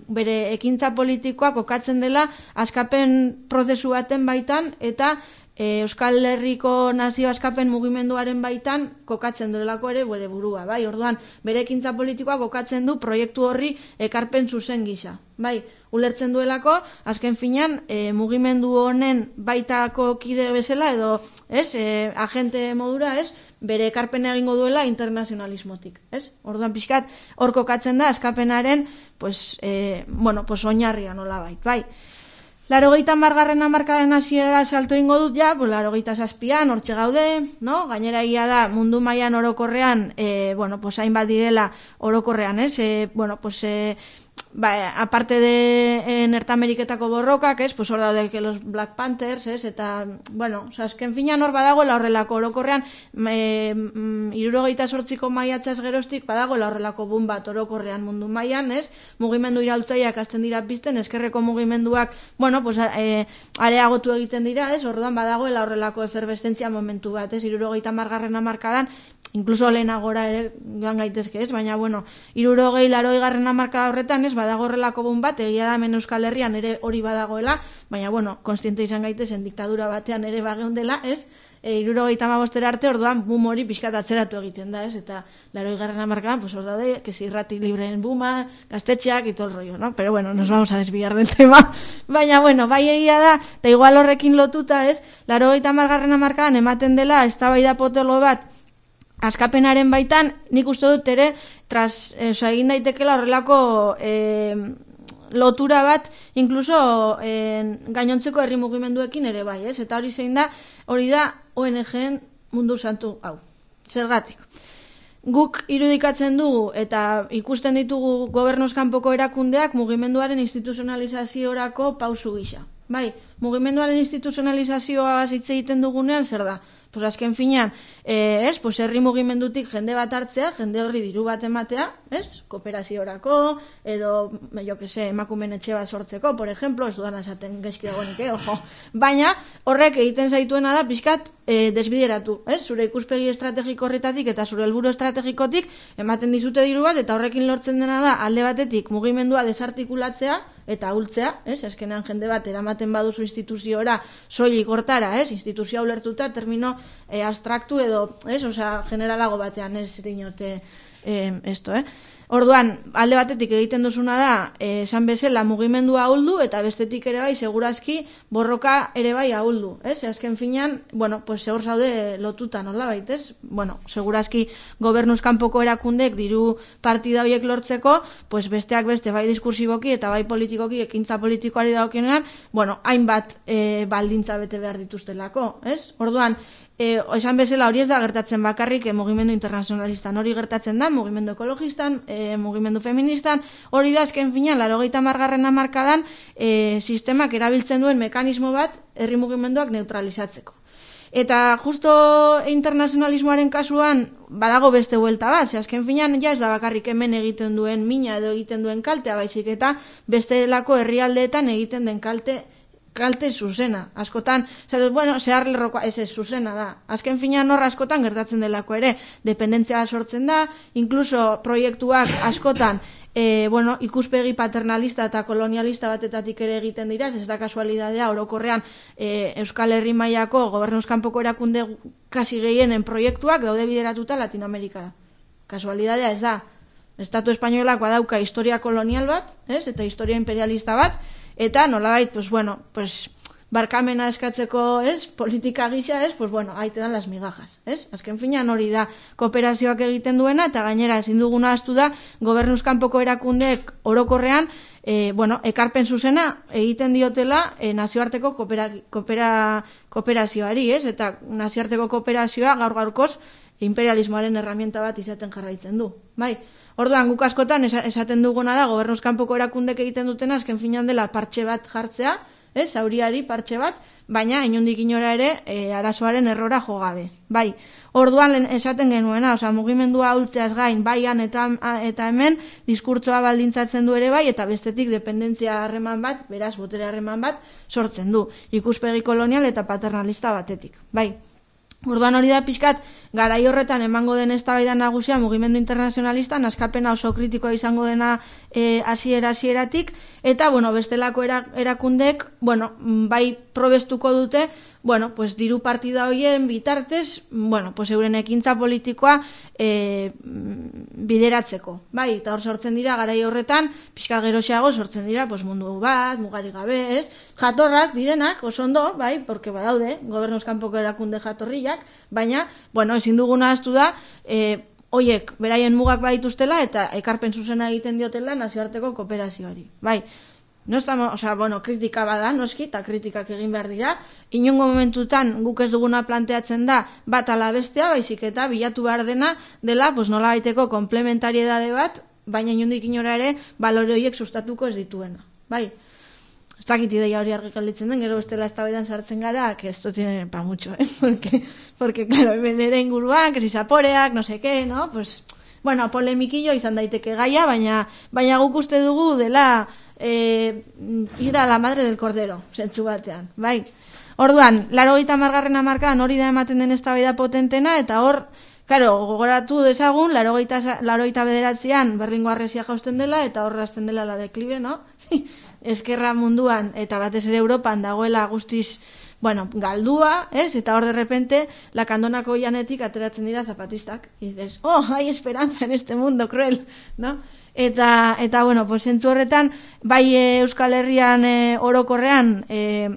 bere ekintza politikoa kokatzen dela askapen prozesu baten baitan eta e, Euskal Herriko nazio askapen mugimenduaren baitan kokatzen duelako ere bere burua, bai, orduan bere ekintza politikoa kokatzen du proiektu horri ekarpen zuzen gisa, bai, ulertzen duelako, azken finean, e, mugimendu honen baitako kide bezala edo, ez, e, agente modura, ez, bere ekarpena egingo duela internazionalismotik, ez? Orduan pixkat, hor kokatzen da, askapenaren, pues, e, bueno, pues, oinarria nola bait, bai. Larogeita margarren hamarkadaren hasiera salto ingo dut ja, pues, larogeita zazpian, hortxe gaude, no? Gainera egia da, mundu mailan orokorrean, e, bueno, pues, hainbat direla orokorrean, ez? E, bueno, pues, e, ba, aparte de eh, Norteameriketako borrokak, ez, pues hor daude que los Black Panthers, ez, eta, bueno, azken finan hor badagoela horrelako orokorrean, e, hirurogeita zortziko maiatzaz geroztik badagoela horrelako bun bat orokorrean mundu mailan, ez, mugimendu iraultzaileak hasten dira pizten, eskerreko mugimenduak, bueno, pues, e, areagotu egiten dira, ez, orduan badagoela horrelako efervescentzia momentu bat, ez, hirurogeita margarren hamarkadan, incluso lehenagora ere joan gaitezke, ez, baina, bueno, hirurogei laroi garren hamarkada horretan, ez, badago horrelako bun bat, egia da hemen Euskal Herrian ere hori badagoela, baina, bueno, konstiente izan gaitezen diktadura batean ere bageundela, ez, e, hirurogeita hamabostera arte, orduan bum hori pixkat atzeratu egiten da, ez, eta laroi garren hamarkadan, pues hor daude, que si irrati libreen buma, gaztetxeak y todo el rollo, no? Pero bueno, nos vamos a desviar del tema, baina, bueno, bai egia da, eta igual horrekin lotuta, ez, larogeita hamargarren hamarkadan ematen dela, eztabaida potolo bat, askapenaren baitan, nik uste dut ere, tras, eh, oza, egin daitekela horrelako eh, lotura bat, inkluso eh, gainontzeko herri mugimenduekin ere bai, ez? Eta hori zein da, hori da O N G-en mundu santu, hau, zergatik. Guk irudikatzen dugu eta ikusten ditugu gobernuzkanpoko erakundeak mugimenduaren instituzionalizaziorako pausu gisa. Bai, mugimenduaren instituzionalizazioa hitz egiten dugunean zer da? Pues azken finean, eh, ez, pues herri mugimendutik jende bat hartzea, jende horri diru bat ematea, ez, kooperaziorako, edo, jo que se, emakumen etxe bat sortzeko, por ejemplo, ez dudan esaten gezki dagoenik, eh, ojo. Baina, horrek egiten zaituena da, pixkat, eh, desbideratu, ez, zure ikuspegi estrategiko horretatik eta zure helburu estrategikotik ematen dizute diru bat, eta horrekin lortzen dena da, alde batetik mugimendua desartikulatzea, eta hultzea, ez, eskenean jende bat eramaten baduzu instituziora soilik hortara, ez, instituzioa ulertuta termino e, abstraktu edo, ez, osea, generalago batean ez dinote eh, esto, eh? Orduan, alde batetik egiten duzuna da, eh, esan bezala mugimendua ahuldu, eta bestetik ere bai, segurazki, borroka ere bai ahuldu, ez? Azken finean, bueno, pues segur zaude lotuta nola baitez? Bueno, segurazki gobernuzkanpoko erakundek diru partida horiek lortzeko, pues besteak beste bai diskursiboki eta bai politikoki, ekintza politikoari dagokionean, bueno, hainbat eh, baldintza bete behar dituztelako, ez? Orduan, E, esan bezala hori ez da gertatzen bakarrik e, mugimendu internazionalistan, hori gertatzen da mugimendu ekologistan, e, mugimendu feministan, hori da azken finean laurogeita hamargarren hamarkadan e, sistemak erabiltzen duen mekanismo bat herri mugimenduak neutralizatzeko. Eta justo internazionalismoaren kasuan badago beste buelta bat, ze azken finean ja ez da bakarrik hemen egiten duen mina edo egiten duen kaltea, baizik eta bestelako herrialdeetan egiten den kalte kalte zuzena, askotan, zer, bueno, zehar lerrokoa, ez ez, zuzena da. Azken finean horra askotan gertatzen delako ere, dependentzia sortzen da, inkluso proiektuak askotan, e, bueno, ikuspegi paternalista eta kolonialista batetatik ere egiten dira, ez da kasualidadea, orokorrean e, Euskal Herri mailako gobernuzkanpoko erakunde kasi gehienen proiektuak daude bideratuta Latinoamerikara. Kasualidadea ez da. Estatu espainolak badauka historia kolonial bat, ez? Eta historia imperialista bat, eta nolabait, pues bueno, pues barkamena eskatzeko, ez? Politika gisa, ez? Pues bueno, ahí te dan las migajas, ez? Azken finean hori da kooperazioak egiten duena, eta gainera ezin duguna ahaztu da gobernuzkanpoko erakundeek orokorrean, e, bueno, ekarpen zuzena egiten diotela e, nazioarteko koopera, koopera, kooperazioari, ez? Eta nazioarteko kooperazioa gaur gaurkoz imperialismoaren herramienta bat izaten jarraitzen du, bai? Orduan, guk askotan esaten duguna da, gobernuzkanpoko erakundek egiten dutena, azken finean dela partxe bat jartzea, ez, zauriari partxe bat, baina inondik inora ere e, arazoaren errora jogabe. Bai, orduan esaten genuena, osea, mugimendua ahultzeaz gain, baian eta, eta hemen, diskurtsoa baldintzatzen du ere bai, eta bestetik dependentzia harreman bat, beraz, botere harreman bat, sortzen du. Ikuspegi kolonial eta paternalista batetik. Bai. Orduan hori da pixkat, garai horretan emango den eztabaida nagusia mugimendu internazionalistan, askapena oso kritikoa izango dena e, hasiera hasieratik, eta bueno, bestelako erakundek, bueno, bai probestuko dute, bueno, pues diru partida hoien bitartez, bueno, pues euren ekintza politikoa e, bideratzeko. Bai, eta hor sortzen dira garai horretan, pixka geroxeago sortzen dira, pues mundu bat, mugari gabe, ez? Jatorrak direnak, oso ondo, bai, porque badaude, gobernuzkanpoko erakunde jatorriak, baina, bueno, ezin duguna ahaztu da, e, hoiek beraien mugak badituztela eta ekarpen zuzena egiten diotela nazioarteko kooperazioari. Bai, no estamos, o sea, bueno, kritika bada, noski, eta kritikak egin behar dira. Inongo momentutan guk ez duguna planteatzen da bat ala bestea, baizik eta bilatu behar dena dela, pues nola baiteko komplementariedade bat, baina inondik inora ere balore horiek sustatuko ez dituena. Bai, ez dakit ideia hori argi galditzen den, gero bestela eztabaidan sartzen gara, que esto tiene pa mucho, eh? Porque, porque claro, ere inguruan, que si zaporeak, no sé qué, no? Pues, bueno, polemikillo izan daiteke gaia, baina, baina guk uste dugu dela eh, ir a la madre del cordero, zentzu batean, bai. Orduan, laurogeita hamargarren hamarkadan hori da ematen den eztabaida potentena, eta hor, claro, gogoratu dezagun, laurogeita bederatzean berlingo harresia jausten dela, eta hor hasten dela la deklibe, no? Eskerra munduan, eta batez ere Europan dagoela guztiz, bueno, galdua, ez? Eta hor de repente, la kandonako janetik ateratzen dira zapatistak. Y dices, oh, hay esperanza en este mundo cruel, no? Eta, eta bueno, pues entzu horretan, bai e, Euskal Herrian e, orokorrean, e,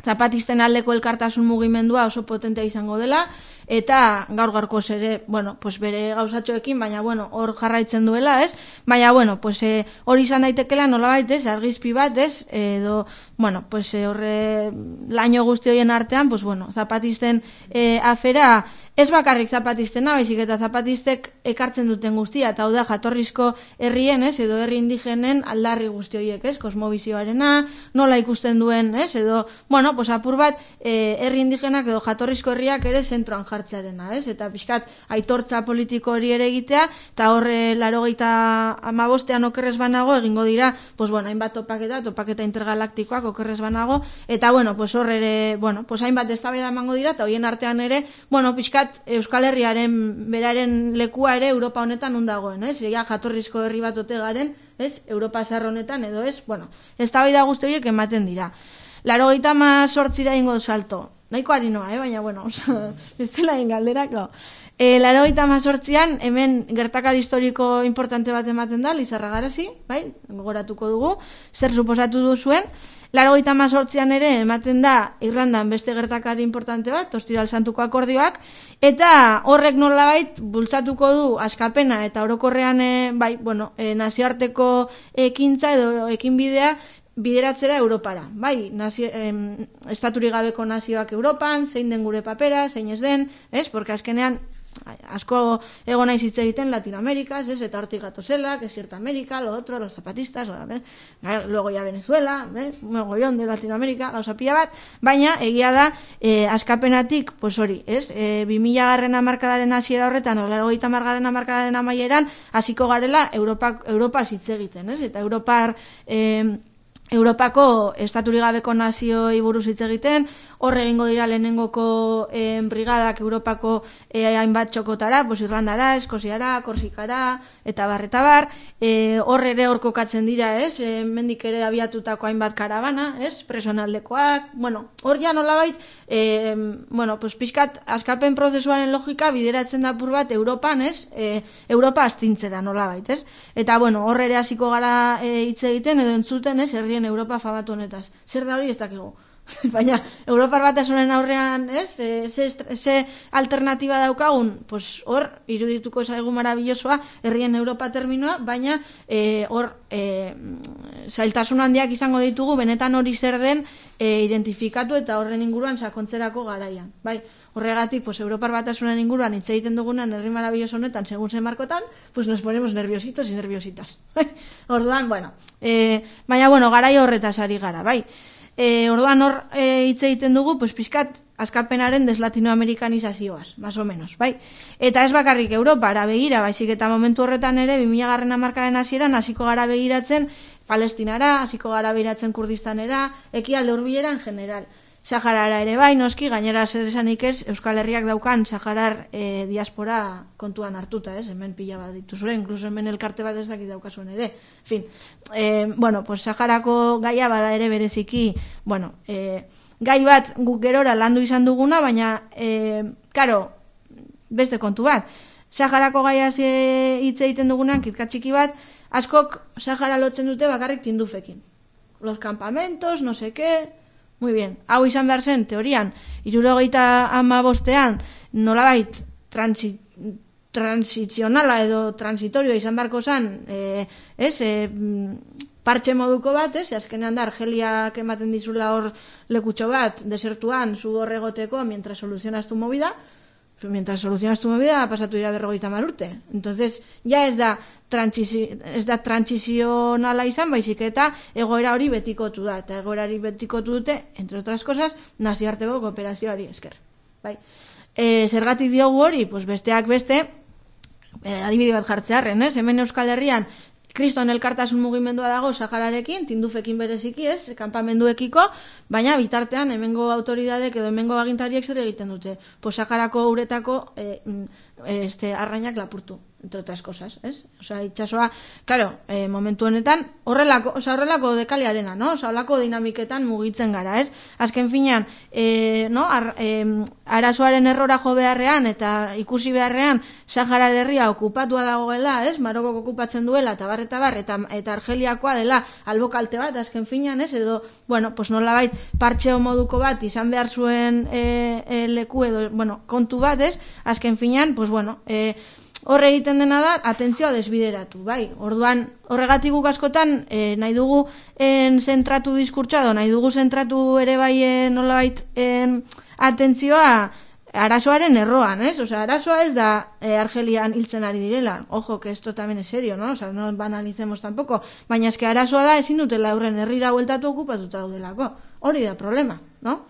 zapatisten aldeko elkartasun mugimendua oso potentea izango dela, eta gaur gaurkoz ere, bueno, pues bere gauzatxoekin, baina bueno, hor jarraitzen duela, ez? Baina bueno, pues eh, hori izan daitekela nolabait, ez? Argizpi bat, ez? Edo, bueno, pues eh, horre laino guzti horien artean, pues bueno, zapatisten eh, afera, ez bakarrik zapatistena, baizik eta zapatistek ekartzen duten guztia, eta hau da jatorrizko herrien, ez? Edo herri indigenen aldarri guzti horiek, ez? Kosmobizioarena, nola ikusten duen, ez? Edo, bueno, pues apur bat, eh, herri indigenak edo jatorrizko herriak ere zentroan jartzearena, ez? Eta pixkat aitortza politiko hori ere egitea, eta horre larogeita amabostean okerrez banago egingo dira, pues bueno, hainbat topaketa, topaketa intergalaktikoak okerrez banago, eta bueno, pues horre ere, bueno, pues hainbat eztabaida emango dira, eta hoien artean ere, bueno, pixkat Euskal Herriaren beraren lekua ere Europa honetan undagoen, ez? Ja jatorrizko herri bat ote garen, ez? Europa zahar honetan edo ez, bueno, eztabaida guzti horiek ematen dira. Laurogeita hamazortzira ingo salto. nahiko harinoa, eh? Baina, bueno, ez dela galderako. E, Laurogeita hamazortzian, hemen gertakari historiko importante bat ematen da, Lizarra Garazi, bai, gogoratuko dugu, zer suposatu du zuen. Laurogeita hamazortzian ere ematen da Irlandan beste gertakari importante bat, Ostiral Santuko akordioak, eta horrek nolabait bultzatuko du askapena eta orokorrean e, bai, bueno, e, nazioarteko ekintza edo ekinbidea bideratzera Europara. Bai, nazio, em, estaturi gabeko nazioak Europan, zein den gure papera, zein ez den, ez? Porque azkenean asko egon naiz hitz egiten Latinoamerikas, es, eta hortik gatozela, que es cierta América, lo otro, los zapatistas, ¿eh? Luego ya Venezuela, ¿eh? Un mogollón de Latinoamérica, gauza pila bat, baina egia da eh, askapenatik, pues hori, es, eh, bi mila garren hamarkadaren hasiera horretan, o laurogeita hamargarren hamarkadaren amaieran, hasiko garela Europa Europa hitz egiten, es? Eta Europar eh, Europako estaturi gabeko nazioi buruz hitz egiten, hor egingo dira lehenengoko eh, brigadak Europako eh, hainbat txokotara, pues Irlandara, Eskoziara, Korsikara, eta bar, eta bar, eh, hor ere hor kokatzen dira, ez, eh, mendik ere abiatutako hainbat karabana, ez, presonaldekoak, bueno, hor ja nolabait, eh, bueno, pues pixkat askapen prozesuaren logika bideratzen da pur bat Europan, ez, eh, Europa astintzera nolabait, ez, eta bueno, hor ere hasiko gara eh, hitz egiten edo entzuten, ez, herri Europa fabatu honetaz. Zer da hori ez dakigu. Baina, Europar batasunen aurrean, ez? E, ze, ze alternatiba daukagun? Pues hor, irudituko zaigu marabillosoa, herrien Europa terminoa, baina e, hor e, zailtasun handiak izango ditugu, benetan hori zer den e, identifikatu eta horren inguruan sakontzerako garaian. Bai, horregatik, pues, Europar batasunen inguruan hitz egiten dugunan herri marabilloso honetan, segun zen markotan, pues nos ponemos nerviositos y nerviositas. Orduan, bueno, e, baina, bueno, garai horretaz ari gara, bai. E, orduan hor e, hitz egiten dugu, pues, pixkat askapenaren deslatinoamerikanizazioaz, más o menos, bai? Eta ez bakarrik Europara begira, baizik eta momentu horretan ere, bi mila garren hamarkadaren hasieran hasiko gara begiratzen Palestinara, hasiko gara begiratzen Kurdistanera, ekialde hurbilera en general. Saharara ere bai, noski, gainera zer esanik ez, Euskal Herriak daukan Saharar e, diaspora kontuan hartuta, ez, hemen pila bat dituzure, inkluso hemen elkarte bat ez dakit daukazuen ere. En fin, e, bueno, pues Saharako gaia bada ere bereziki, bueno, e, gai bat guk gerora landu izan duguna, baina, e, karo, beste kontu bat, Saharako gaia hitz egiten dugunan, kitka txiki bat, askok Sahara lotzen dute bakarrik tindufekin. Los campamentos, no sé qué... Muy bien, hau izan behar zen, teorian, hirurogeita hamabostean nolabait transi, transizionala edo transitorio izan beharko zen, e, ez, e, partxe moduko bat, ez, azkenean da, Argeliak ematen dizula hor lekutxo bat, desertuan, zu horregoteko, mientras soluzionaz tu movida, mientras solucionas tu movida, pasatu dira berrogeita hamar urte. Entonces, ya ez da ez da transizionala izan, baizik eta egoera hori betikotu da. Eta egoera hori betikotu dute, entre otras cosas, nazioarteko kooperazioari esker. Bai. E, zergatik diogu hori, pues besteak beste, e, adibide bat jartzearren, ez? Hemen Euskal Herrian, Kriston elkartasun mugimendua dago Sahararekin, tindufekin bereziki ez, kanpamenduekiko, baina bitartean hemengo autoridadek edo hemengo agintariek zer egiten dute. Pues Saharako uretako eh, este, arrainak lapurtu, entre otras cosas, ez? Osea, itxasoa, claro, eh, momentu honetan, horrelako, osea, horrelako dekaliarena, no? Osea, horrelako dinamiketan mugitzen gara, ez? Azken finean, eh, no? Ar, eh, arazoaren errora jo beharrean eta ikusi beharrean Sahara herria okupatua dagoela, ez? Marokok okupatzen duela, eta bar, eta bar, eta, eta Argeliakoa dela albokalte bat, azken finean, ez? Edo, bueno, pues nolabait partxeo moduko bat izan behar zuen eh, eh, leku edo, bueno, kontu bat, ez? Azken finean, pues bueno, eh, horre egiten dena da, atentzioa desbideratu, bai. Orduan, horregatik guk askotan, e, nahi dugu en zentratu diskurtsoa, edo nahi dugu zentratu ere bai en, nolabait en, atentzioa arazoaren erroan, ez? Osea, arazoa ez da e, Argelian hiltzen ari direla. Ojo, que esto también es serio, ¿no? Osea, no banalicemos tampoco. Baina eske arazoa da ezin dutela aurren herrira bueltatu okupatuta daudelako. Hori da problema, no?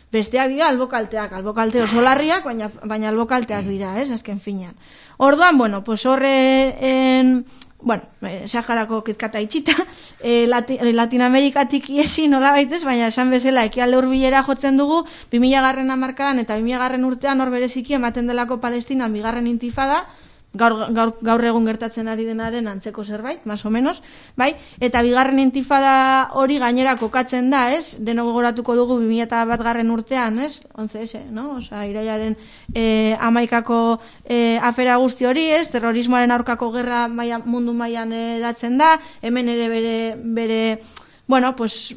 Besteak dira albokalteak, albokalte oso larriak, baina, baina albokalteak dira, ez, azken finean. Orduan, bueno, pues horre, en, bueno, eh, Saharako kitkata itxita, eh, Lati, Latinoamerikatik iesi nola baitez, baina esan bezala ekialde hurbilera jotzen dugu, bi mila garren hamarkadan eta bi mila garren urtean hor bereziki ematen delako Palestinan bigarren intifada, gaur, gaur, gaur egun gertatzen ari denaren antzeko zerbait, más o menos, bai? Eta bigarren intifada hori gainera kokatzen da, ez? Deno gogoratuko dugu bi mila bat garren urtean, ez? Onze ese, no? Osa, irailaren eh, amaikako eh, afera guzti hori, ez? Terrorismoaren aurkako gerra maia, mundu mailan edatzen da, hemen ere bere, bere bueno, pues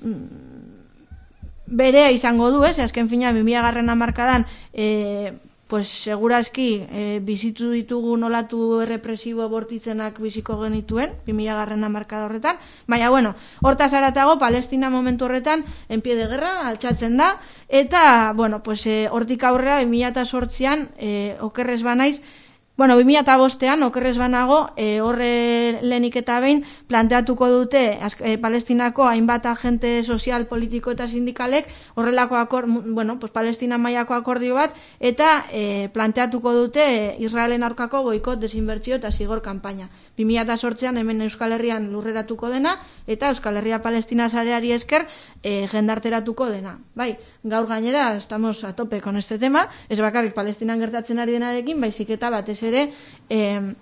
berea izango du, ez? Azken fina, bi mila garren hamarkadan, eh, pues segurazki eh, bizitu ditugu nolatu errepresibo bortitzenak biziko genituen, bi mila garren hamarkada horretan, baina, bueno, hortaz haratago, Palestina momentu horretan, en pie de guerra, altxatzen da, eta, bueno, pues eh, hortik aurrera, bi mila zortzian, eh, okerrez banaiz, bueno, bi mila bostean, okerrez banago, e, horre lehenik eta behin planteatuko dute e, Palestinako hainbat agente sozial, politiko eta sindikalek horrelako akor, bueno, pues Palestina mailako akordio bat, eta e, planteatuko dute Israelen aurkako boikot, desinbertsio eta zigor kanpaina. bi mila zortzian hemen Euskal Herrian lurreratuko dena, eta Euskal Herria Palestina sareari esker e, jendarteratuko dena. Bai, gaur gainera, estamos a tope con este tema, ez bakarrik Palestinan gertatzen ari denarekin, baizik eta batez ere, eh,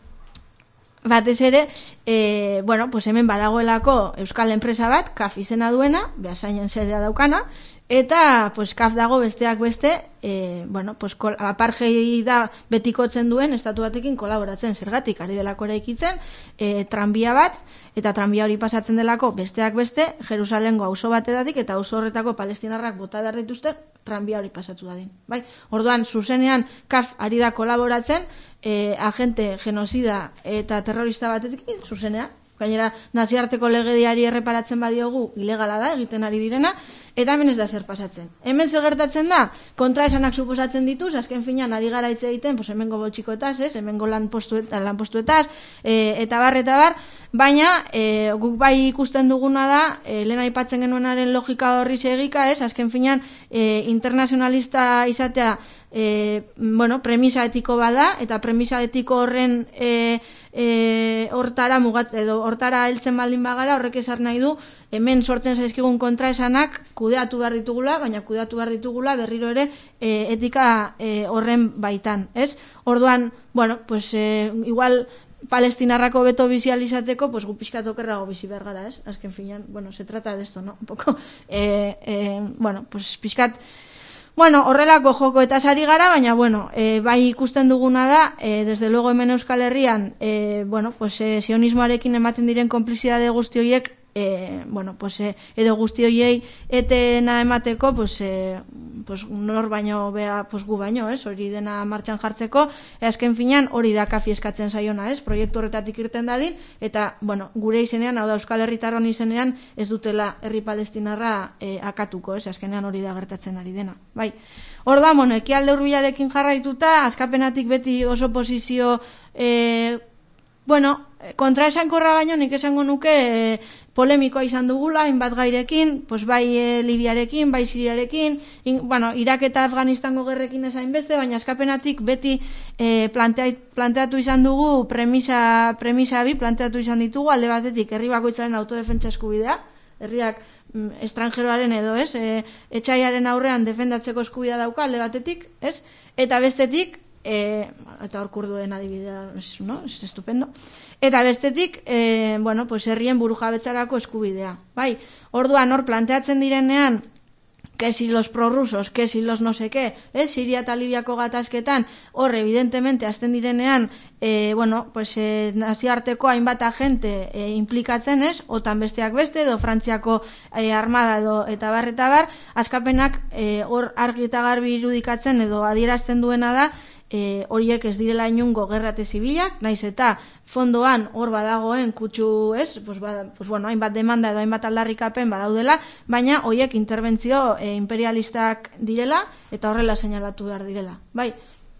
batez ere, eh, bueno, pues hemen badagoelako euskal enpresa bat, K A F izena duena, Beasainen sedea daukana, eta pues K A F dago besteak beste, eh, bueno, pues apartheida betikotzen duen estatu batekin kolaboratzen, zergatik ari delako eraikitzen, eh, tranbia bat, eta tranbia hori pasatzen delako besteak beste, Jerusalengo auzo batedatik eta auzo horretako palestinarrak bota behar dituzte tranbia hori pasatu dadin. Bai? Orduan, zuzenean K A F ari da kolaboratzen, eh, agente genozida eta terrorista batetik, zuzenean. Gainera, naziarteko legediari erreparatzen badiogu, ilegala da, egiten ari direna, eta hemen ez da zer pasatzen. Hemen zer gertatzen da, kontraesanak suposatzen dituz, azken finean ari gara hitz egiten, pues hemengo boltsikoetaz, ez, hemengo lanpostuetaz, lanpostuetaz e, eta bar, eta bar, baina e, guk bai ikusten duguna da, e, lehen aipatzen genuenaren logika horri segika, ez, azken finean e, internazionalista izatea, E, bueno, premisa etiko bada, eta premisa etiko horren e, e, hortara mugat, edo hortara heltzen baldin bagara, horrek esan nahi du, hemen sortzen zaizkigun kontraesanak kudeatu behar ditugula, baina kudeatu behar ditugula berriro ere e, etika e, horren baitan, ez? Orduan, bueno, pues e, igual palestinarrako beto bizializateko, pues gu pixkat okerrago bizi behar gara, ez? Azken finean, bueno, se trata de esto, no? Un poco, eh, eh, bueno, pues pixkat bueno, horrelako joko eta sari gara, baina, bueno, e, bai ikusten duguna da, e, desde luego hemen Euskal Herrian, e, bueno, pues, e, sionismoarekin ematen diren konplizidade guzti horiek, e, bueno, pues, e, edo guzti horiei etena emateko, pues, e, pues, nor baino, bea, pues, gu baino, ez, hori dena martxan jartzeko, e, azken finean hori da K A F eskatzen zaiona, ez, proiektu horretatik irten dadin, eta, bueno, gure izenean, hau da Euskal Herritarron izenean, ez dutela herri palestinarra e, akatuko, ez, azkenean hori da gertatzen ari dena, bai. Orda, bueno, ekialde hurbilarekin jarraituta, askapenatik beti oso posizio, e, bueno, kontraesankorra baino nik esango nuke e, polemikoa izan dugula, hainbat gairekin, pues bai e, Libiarekin, bai Siriarekin, in, bueno, Irak eta Afganistango gerrekin ezain beste, baina askapenatik beti e, plantea, planteatu izan dugu premisa, premisa bi, planteatu izan ditugu, alde batetik herri bakoitzaren autodefentsa eskubidea, herriak mm, estrangeroaren edo, ez, e, etxaiaren aurrean defendatzeko eskubidea dauka, alde batetik, ez, eta bestetik, e, eta hor kurduen adibidea, no? Es estupendo. Eta bestetik, e, bueno, pues herrien burujabetzarako eskubidea. Bai, orduan hor planteatzen direnean, que si los prorrusos, que si los no sé qué, eh? Siria eta Libiako gatazketan, hor, evidentemente, azten direnean, eh, bueno, pues, eh, nazioarteko hainbat agente eh, implikatzen ez, otan besteak beste, edo Frantziako eh, armada edo eta bar, eta bar, askapenak eh, hor argi eta garbi irudikatzen edo adierazten duena da, E, horiek ez direla inungo gerrate zibilak, naiz eta fondoan hor badagoen kutsu, ez, pues, ba, pues, bueno, hainbat demanda edo hainbat aldarrikapen badaudela, baina horiek interbentzio e, imperialistak direla eta horrela seinalatu behar direla. Bai,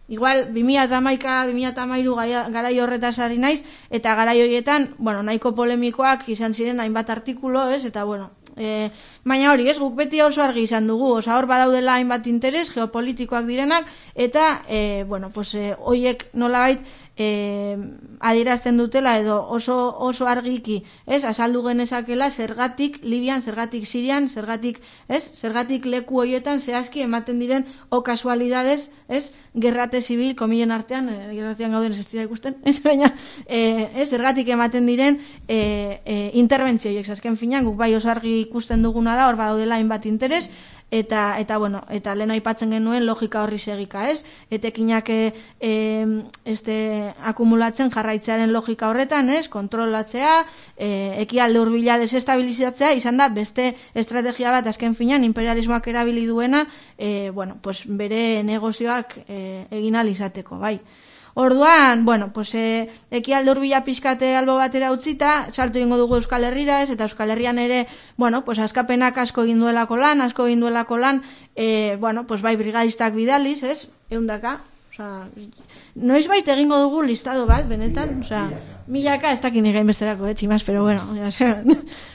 igual, bi mila hamaika, bi mila hamairu garai horretaz ari naiz, eta garai horietan, bueno, nahiko polemikoak izan ziren hainbat artikulo, ez, eta, bueno, E, baina hori, ez, guk beti oso argi izan dugu, oza, hor badaudela hainbat interes geopolitikoak direnak, eta, e, bueno, pues, e, oiek nolabait e, adierazten dutela edo oso, oso argiki, ez, azaldu genezakela zergatik Libian, zergatik Sirian, zergatik, ez, zergatik leku hoietan zehazki ematen diren o kasualidades, ez, gerrate zibil, komilen artean, e, gerratean gauden ez dira ikusten, ez, baina, e, ez, zergatik ematen diren e, e, interbentzioiek, azken finan, guk bai oso argi ikusten duguna da, hor badaudela hainbat interes, eta, eta bueno, eta lehen aipatzen genuen logika horri segika, ez? Etekinak e, e, este, akumulatzen jarraitzearen logika horretan, ez? Kontrolatzea, e, ekialde hurbila desestabilizatzea, izan da beste estrategia bat azken finan imperialismoak erabili duena, e, bueno, pues bere negozioak e, egin ahal izateko, bai. Orduan, bueno, pues e, ekialde hurbila pixkate albo batera utzita, salto ingo dugu Euskal Herrira, ez, eta Euskal Herrian ere, bueno, pues askapenak asko egin duelako lan, asko egin duelako lan, e, bueno, pues bai brigadistak bidaliz, ez, eundaka, osea, noiz bait egingo dugu listado bat, benetan, osea, milaka, ez dakit nire inbesterako, eh, tximaz, pero bueno,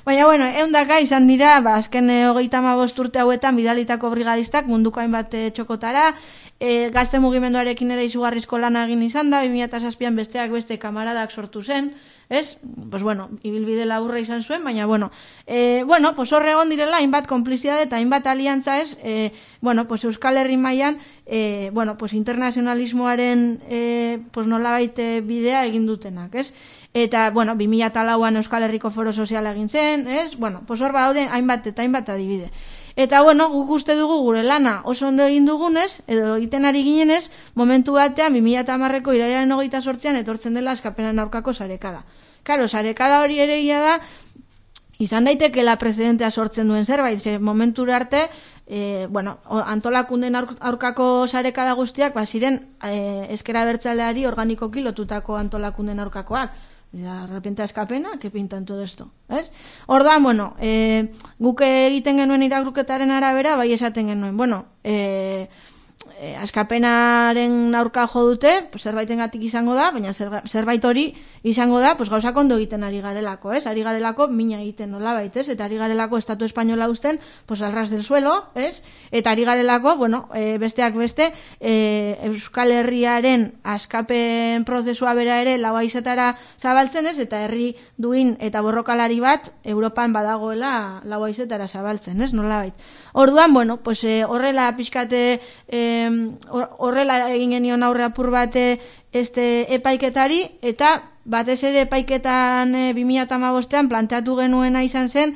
baina, bueno, eundaka izan dira, ba, azken e, hogeita hamabost urte hauetan bidalitako brigadistak munduko hainbat e, txokotara, e, gazte mugimenduarekin ere izugarrizko lana egin izan da, bi mila zazpian besteak beste kamaradak sortu zen, ez? Pues bueno, ibilbide laburra izan zuen, baina bueno, e, bueno, pues horre egon direla hainbat konplizidade eta hainbat aliantza, ez? E, bueno, pues Euskal Herri mailan, e, bueno, pues internazionalismoaren e, pues nolabait bidea egin dutenak, ez? Eta, bueno, bi mila lauan Euskal Herriko Foro Soziala egin zen, ez? Bueno, pues hor badaude hainbat eta hainbat adibide. Eta, bueno, guk uste dugu gure lana oso ondo egin dugunez, edo egiten ari ginenez, momentu batean, bi mila hamareko irailaren hogeita sortzean etortzen dela askapenan aurkako sarekada. Karo, sarekada hori ere ia da, izan daitekeela presidentea sortzen duen zerbait, ze momentura arte, e, bueno, antolakunden aurkako sarekada guztiak, ba, ziren e, ezkera abertzaleari organikoki lotutako antolakunden aurkakoak. De repente askapena, que pintan todo esto, ¿es? Ordan, bueno, eh, guk egiten genuen irakurketaren arabera, bai esaten genuen, bueno, eh, eh, askapenaren aurka jo dute, pues zerbaitengatik izango da, baina zerbait hori izango da, pues gauzak ondo egiten ari garelako, ¿es? Ari garelako mina egiten nolabait, ¿es? Eta ari garelako estatu espainola uzten, pues al ras del suelo, ¿es? Eta ari garelako, bueno, eh, besteak beste, eh, Euskal Herriaren askapen prozesua bera ere lau haizetara zabaltzen, ez? Eta herri duin eta borrokalari bat Europan badagoela lau haizetara zabaltzen, ez? Nolabait. Orduan, bueno, pues eh, horrela pixkate eh, horrela egin genion aurre apur bate este epaiketari, eta batez ere epaiketan e, bi mila hamabostean planteatu genuena izan zen,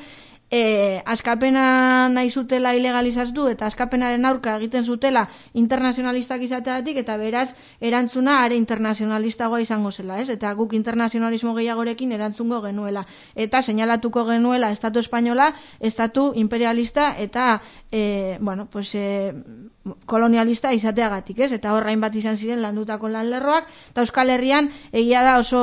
e, askapena nahi zutela ilegalizatu eta askapenaren aurka egiten zutela internazionalistak izateatik, eta beraz erantzuna are internazionalistagoa izango zela, ez? Eta guk internazionalismo gehiagorekin erantzungo genuela, eta seinalatuko genuela estatu espainola, estatu imperialista eta e, bueno, pues e, kolonialista izateagatik, ez? Eta horrain bat izan ziren landutako lanlerroak, eta Euskal Herrian egia da oso,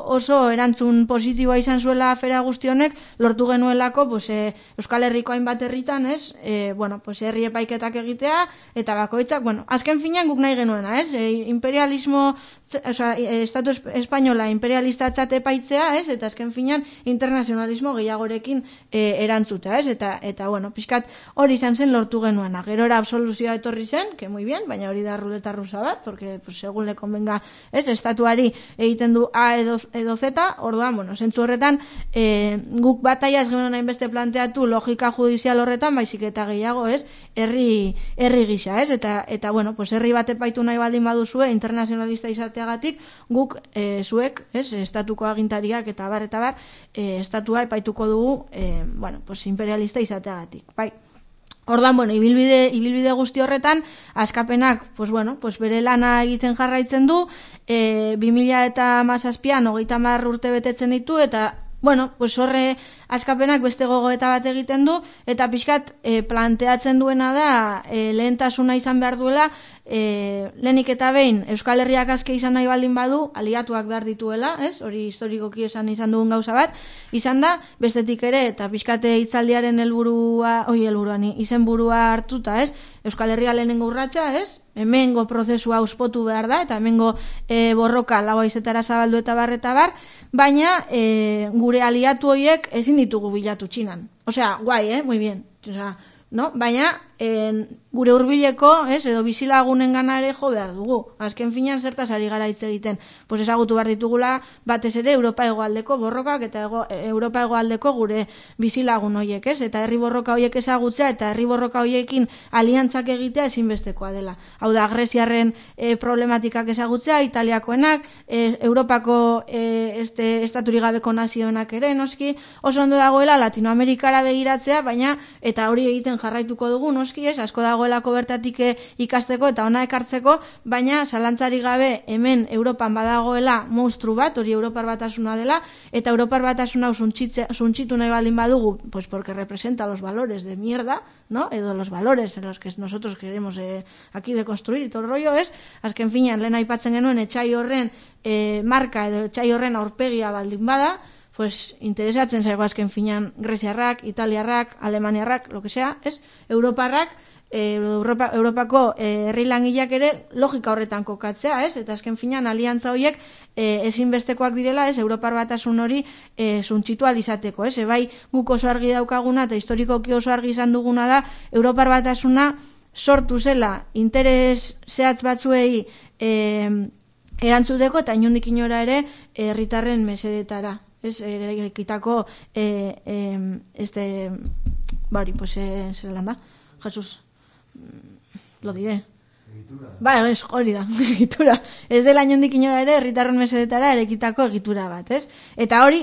oso erantzun positiboa izan zuela afera guzti honek, lortu genuelako pues, e, Euskal Herriko hainbat herritan, ez? E, bueno, pues herri epaiketak egitea, eta bakoitzak, bueno, azken finean guk nahi genuena, ez? E, imperialismo, oza, estatu espainola imperialista txate epaitzea, ez? Eta azken finean internazionalismo gehiagorekin e, erantzutea, ez? Eta, eta bueno, pixkat hori izan zen lortu genuena. Gerora absoluzioa etorri zen, que muy bien, baina hori da ruleta rusa bat, porque pues, segun le convenga, ez, estatuari egiten du A edo, edo Z, orduan, bueno, zentzu horretan, e, guk bataia ez genuen hainbeste planteatu logika judizial horretan, baizik eta gehiago, ez, herri, herri gisa, ez, eta, eta bueno, pues herri bat epaitu nahi baldin baduzue, internazionalista izateagatik, guk e, zuek, ez, estatuko agintariak eta bar, eta bar, e, estatua epaituko dugu, e, bueno, pues imperialista izateagatik, bai. Ordan, bueno, ibilbide, ibilbide guzti horretan, askapenak, pues bueno, pues bere lana egiten jarraitzen du, e, bi mila eta hamazazpian hogeita hamar urte betetzen ditu, eta, bueno, pues horre askapenak beste gogoeta bat egiten du, eta pixkat e, planteatzen duena da e, lehentasuna izan behar duela e, lehenik eta behin Euskal Herriak azke izan nahi baldin badu, aliatuak behar dituela, ez? Hori historikoki esan izan dugun gauza bat, izan da, bestetik ere, eta pixkate hitzaldiaren helburua, oi helburuan, izenburua hartuta, ez? Euskal Herria lehenengo urratsa, ez? Hemengo prozesua auspotu behar da, eta hemengo e, borroka lau haizetara zabaldu eta bar eta bar, baina e, gure aliatu horiek ezin ditugu bilatu Txinan. Osea, guai, eh? Muy bien. Osea, no? Baina en, gure hurbileko, ez, edo bizilagunen gana ere jo behar dugu. Azken finean zertaz ari gara hitz egiten. Pues ezagutu behar ditugula batez ere Europa hegoaldeko borrokak eta ego, Europa hegoaldeko gure bizilagun horiek, ez? Eta herri borroka horiek ezagutzea eta herri borroka horiekin aliantzak egitea ezinbestekoa dela. Hau da, Greziarren e, problematikak ezagutzea, Italiakoenak, e, Europako e, este, estaturi gabeko nazioenak ere, noski, oso ondo dagoela Latinoamerikara begiratzea, baina eta hori egiten jarraituko dugu, noski, ez, asko dagoelako bertatik ikasteko eta ona ekartzeko, baina zalantzari gabe hemen Europan badagoela monstru bat, hori Europar Batasuna dela, eta Europar Batasuna suntxitu nahi baldin badugu, pues porque representa los valores de mierda, ¿no? Edo los valores en los que nosotros queremos eh, aquí deconstruir y todo el rollo, es, azken finean, lehen aipatzen genuen etxai horren eh, marka edo etxai horren aurpegia baldin bada, pues interesatzen zaigu azken finean Greziarrak, Italiarrak, Alemaniarrak, lo que sea, es, Europarrak, eh, Europa, Europako eh, herri langileak ere logika horretan kokatzea, ez? Eta azken finean aliantza horiek eh, ezinbestekoak direla, ez? Europar Batasun hori eh, suntxitu alizateko, ez? Ebai guk oso argi daukaguna eta historikoki oso argi izan duguna da Europar Batasuna sortu zela interes zehatz batzuei eh, erantzuteko eta inondik inora ere herritarren mesedetara. Es erekitako eh, eh, este bari, pues eh, zer lan da? Jesus, lo diré. Ba, ez, hori da, egitura. Ez dela inondik inora ere, herritarren mesedetara erekitako egitura bat, ez? Eta hori,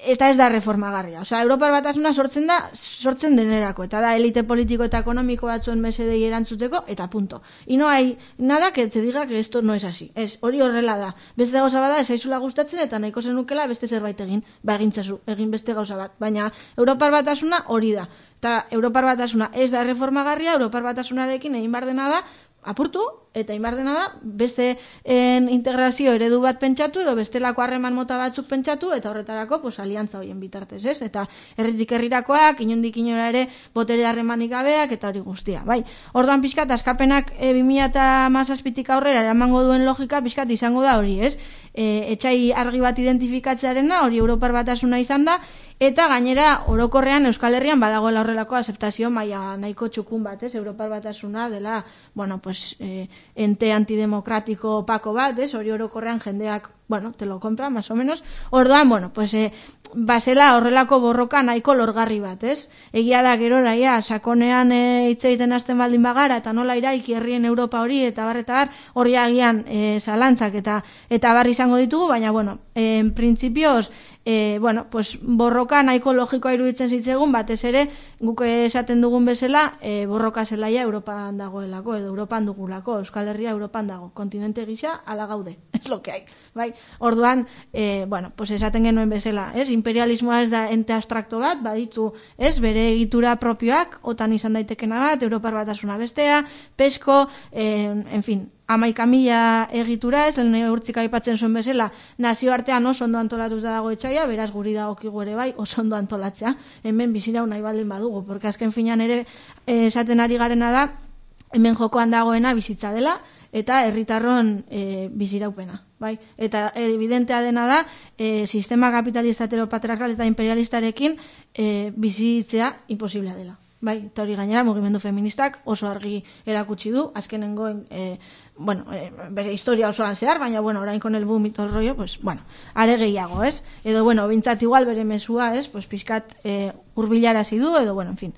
eta ez da reformagarria. Osea, Europar Batasuna sortzen da, sortzen denerako, eta da elite politiko eta ekonomiko batzuen mesedei erantzuteko, eta punto. Y no hay nada que te diga que esto no es así. Ez, hori horrela da. Beste gauza bada, ez aizula gustatzen, eta nahiko zenukela beste zerbait egin, ba egintzazu, egin beste gauza bat. Baina, Europar Batasuna hori da. Eta Europar Batasuna ez da reformagarria, Europar Batasunarekin egin bar dena da, apurtu, eta inbar dena da, beste en, integrazio eredu bat pentsatu, edo bestelako harreman mota batzuk pentsatu, eta horretarako, pues, aliantza horien bitartez, ez? Eta herritik herrirakoak, inondik inora ere, botere harremanik gabeak, eta hori guztia, bai. Orduan pixkat, askapenak e, bi mila hamazazpitik aurrera eramango duen logika, pixkat izango da hori, ez? E, etxai argi bat identifikatzearena, hori Europar Batasuna izan da, eta gainera orokorrean Euskal Herrian badagoela horrelako aceptazio maila nahiko txukun bat, ez? Europar Batasuna dela, bueno, pues, eh, ente antidemokratiko opako bat, ez? Hori orokorrean jendeak, bueno, te lo compra, más o menos. Orduan, bueno, pues, eh, basela horrelako borroka nahiko lorgarri bat, ez? Egia da gerora, ja, sakonean hitz e, egiten hasten baldin bagara, eta nola iraiki herrien Europa hori, eta bar, eta bar, hori agian e, zalantzak, eta eta bar izango ditugu, baina, bueno, en principios, e, bueno, pues, borroka nahiko logikoa iruditzen zitzegun, batez ere, guk esaten dugun bezala, e, borroka zelaia Europan dagoelako, edo Europan dugulako, Euskal Herria Europan dago, kontinente gisa, ala gaude, es lo que hay, bai? Orduan, e, bueno, pues esaten genuen bezala, ez? Imperialismoa ez da ente abstrakto bat, baditu, ez? Bere egitura propioak, otan izan daitekena bat, Europar Batasuna bestea, pesko, en, en fin, amaika mila egitura, ez, lehen urtzik aipatzen zuen bezala, nazioartean oso ondo antolatuz da dago etxaia, beraz guri dagokigu ere bai, oso ondo antolatzea, hemen bizirau nahi baldin badugu, porque azken finean ere esaten ari garena da, hemen jokoan dagoena bizitza dela, eta herritarron e, biziraupena, bai? Eta evidentea dena da, e, sistema kapitalista heteropatriarkal eta imperialistarekin e, bizitzea imposiblea dela. Bai, eta hori gainera mugimendu feministak oso argi erakutsi du, azkenengo e, bueno, e, bere historia osoan zehar, baina bueno, orain con el boom y todo el rollo, pues bueno, are gehiago, ez? Edo bueno, bintzat igual bere mesua, ez? Pues pixkat e, hurbilarazi du, edo bueno, en fin.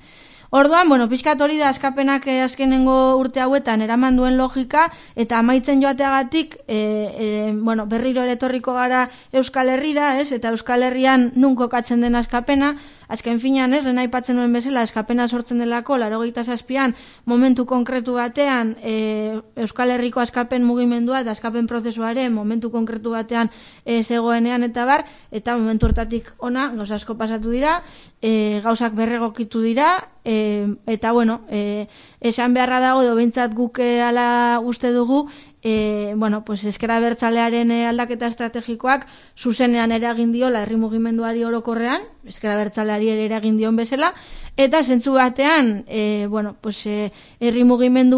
Orduan, bueno, pixkat hori da askapenak azkenengo urte hauetan eraman duen logika, eta amaitzen joateagatik, e, e, bueno, berriro ere etorriko gara Euskal Herrira, ez? Eta Euskal Herrian nun kokatzen den askapena, azken finean ez, lehen aipatzen nuen bezala, eskapena sortzen delako, laurogeita zazpian, momentu konkretu batean, e, Euskal Herriko askapen mugimendua eta askapen prozesuaren momentu konkretu batean e, zegoenean eta bar, eta momentu hortatik ona, gauza asko pasatu dira, e, gauzak berregokitu dira, e, eta bueno, e, esan beharra dago, edo behintzat guk ala uste dugu, E, bueno, pues ezker abertzalearen aldaketa estrategikoak zuzenean eragin diola herri mugimenduari orokorrean, ezker abertzaleari ere eragin dion bezala, eta zentzu batean, e, bueno, pues e, herri mugimendu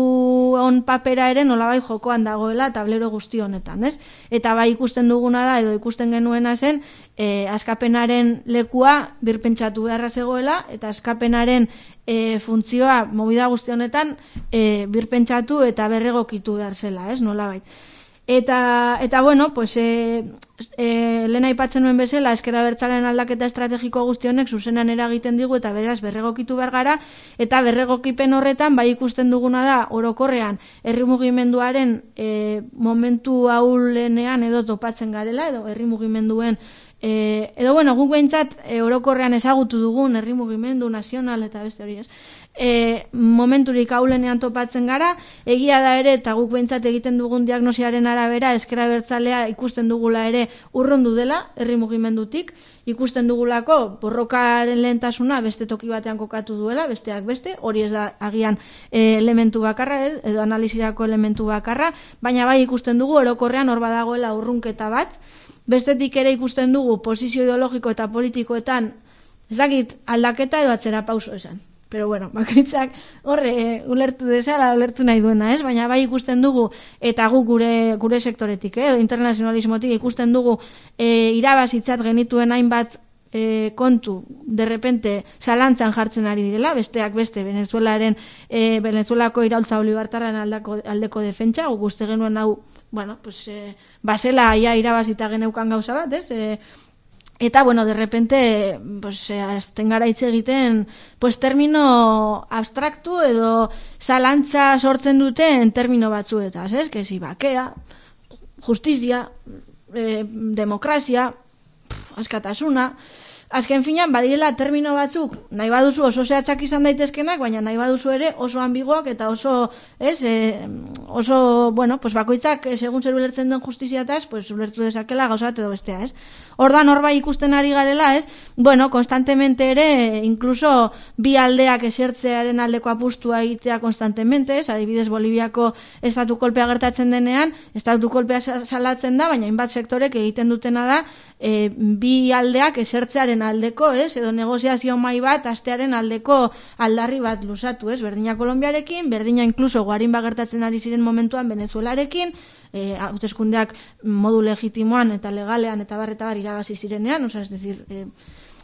on papera ere nolabait jokoan dagoela tablero guzti honetan, ez? Eta bai ikusten duguna da, edo ikusten genuena zen, e, askapenaren lekua birpentsatu beharra zegoela, eta askapenaren e, funtzioa movida guzti honetan e, birpentsatu eta berregokitu behar zela, ez? Nolabait. Eta, eta bueno, pues, e, e, lehen aipatzen nuen bezala, ezker abertzalean aldaketa estrategiko guzti honek zuzenan eragiten digu eta beraz berregokitu behar gara, eta berregokipen horretan bai ikusten duguna da orokorrean herri mugimenduaren e, momentu ahulenean edo topatzen garela, edo herri mugimenduen E, edo, bueno, guk behintzat e, orokorrean ezagutu dugun herri mugimendu nazional eta beste hori ez. E, momenturik ahulenean topatzen gara, egia da ere, eta guk behintzat egiten dugun diagnosiaren arabera, ezker abertzalea ikusten dugula ere urrundu dela herri mugimendutik, ikusten dugulako borrokaren lehentasuna beste toki batean kokatu duela, besteak beste, hori ez da agian e, elementu bakarra, edo analizirako elementu bakarra, baina bai ikusten dugu orokorrean hor badagoela urrunketa bat. Bestetik ere ikusten dugu posizio ideologiko eta politikoetan, ez dakit aldaketa edo atzera pauso esan. Pero bueno, bakoitzak horre e, ulertu desala, ulertu nahi duena, ez? Baina bai ikusten dugu, eta guk gure, gure sektoretik, eh? Internazionalismotik ikusten dugu e, irabazitzat genituen hainbat e, kontu, derrepente, zalantzan jartzen ari direla, besteak beste, Venezuelaren, e, Venezuelako iraultza olibartarren aldeko, aldeko defentsa, guk uste genuen hau, bueno, pues, eh, basela ia irabazita geneukan gauza bat, ez? Eh, eta, bueno, de repente, pues, eh, azten gara hitz egiten, pues, termino abstraktu edo zalantza sortzen duten termino batzuetaz, ez? Que si bakea, justizia, eh, demokrazia, pff, askatasuna, azken finan, badirela termino batzuk, nahi baduzu oso zehatzak izan daitezkenak, baina nahi baduzu ere oso ambiguak eta oso, ez, e, oso, bueno, pues bakoitzak, segun zer ulertzen den justiziataz, pues ulertu dezakela gauza bat edo bestea, ez? Ordan hor bai ikusten ari garela, ez? Bueno, konstantemente ere, incluso bi aldeak esertzearen aldeko apustua egitea konstantemente, ez? Adibidez, Boliviako estatu kolpea gertatzen denean, estatu kolpea salatzen da, baina inbat sektorek egiten dutena da, e, bi aldeak esertzearen aldeko, ez? Edo negoziazio mai bat astearen aldeko aldarri bat luzatu, ez? Berdina Kolonbiarekin, berdina incluso guarin bagertatzen ari ziren momentuan Venezuelarekin, eh, hauteskundeak modu legitimoan eta legalean eta bar eta bar irabazi zirenean, osea, es decir, eh,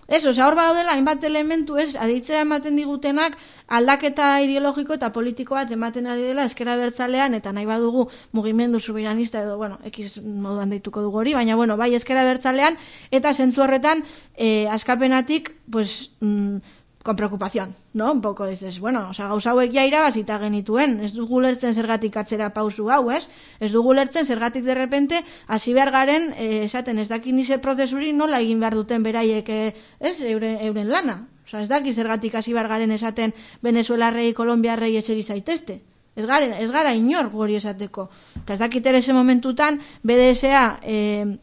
eso, osea, hor badaudela hainbat elementu, ez, aditzea ematen digutenak aldaketa ideologiko eta politiko bat ematen ari dela ezker abertzalean eta nahi badugu mugimendu soberanista edo, bueno, X moduan deituko dugu hori, baina, bueno, bai ezker abertzalean eta zentzu horretan eh, askapenatik, pues, mm, con preocupación, ¿no? Un poco dices, bueno, o sea, gauza hauek ja irabazita genituen, ez dugu lertzen zergatik atzera pausu hau, ez? Ez dugu lertzen zergatik de repente hasi behar garen, eh, esaten ez dakin ize prozesuri nola egin behar duten beraiek, eh, ez, euren, euren lana. O sea, ez daki zergatik hasi behar garen esaten Venezuelarrei, Kolombiarrei etxeri zaitezte. Ez gara, ez gara inor gori esateko. Eta ez dakit ere ese momentutan B D S A, eh,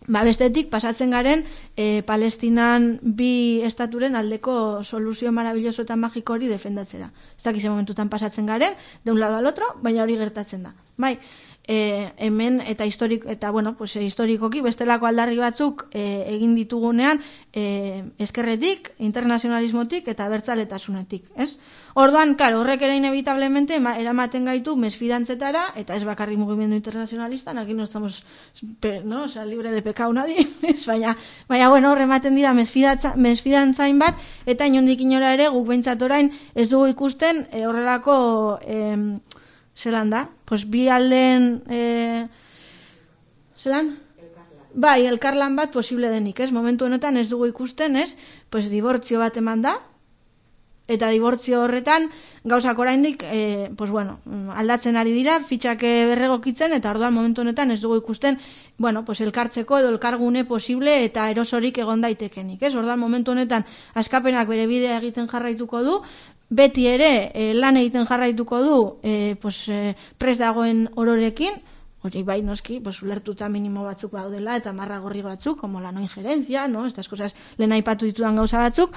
ba bestetik pasatzen garen e, Palestinan bi estaturen aldeko soluzio maravilloso eta magiko hori defendatzera. Ez dakize momentutan pasatzen garen, de un lado al otro, baina hori gertatzen da. Bai, e, hemen eta historik, eta bueno, pues, historikoki bestelako aldarri batzuk e, egin ditugunean e, eskerretik, internazionalismotik eta bertzaletasunetik, ez? Orduan, claro, horrek ere inevitablemente eramaten gaitu mesfidantzetara, eta ez bakarri mugimendu internazionalistan, aquí no estamos, no, o sea, libre de pecado nadie, ez, baina, baina, bueno, horre ematen dira mesfidantzain bat, eta inondik inora ere guk behintzat orain ez dugu ikusten e, horrelako, e, zelan da, pues bi alden, e, zelan? Bai, elkarlan bat posible denik, ez? Momentu honetan ez dugu ikusten, ez? Pues dibortzio bat eman da, Eta dibortzio horretan, gauzak oraindik, e, pues bueno, aldatzen ari dira, fitxak berregokitzen, eta orduan momentu honetan ez dugu ikusten, bueno, pues elkartzeko edo elkargune posible eta erosorik egon daitekenik, ez? Orduan momentu honetan askapenak bere bidea egiten jarraituko du, beti ere e, lan egiten jarraituko du, e, pues, e, prest dagoen ororekin, hori bai noski, pues, ulertuta minimo batzuk daudela, eta marra gorri batzuk, como la no injerencia, no? Estas cosas lehen aipatu ditudan gauza batzuk,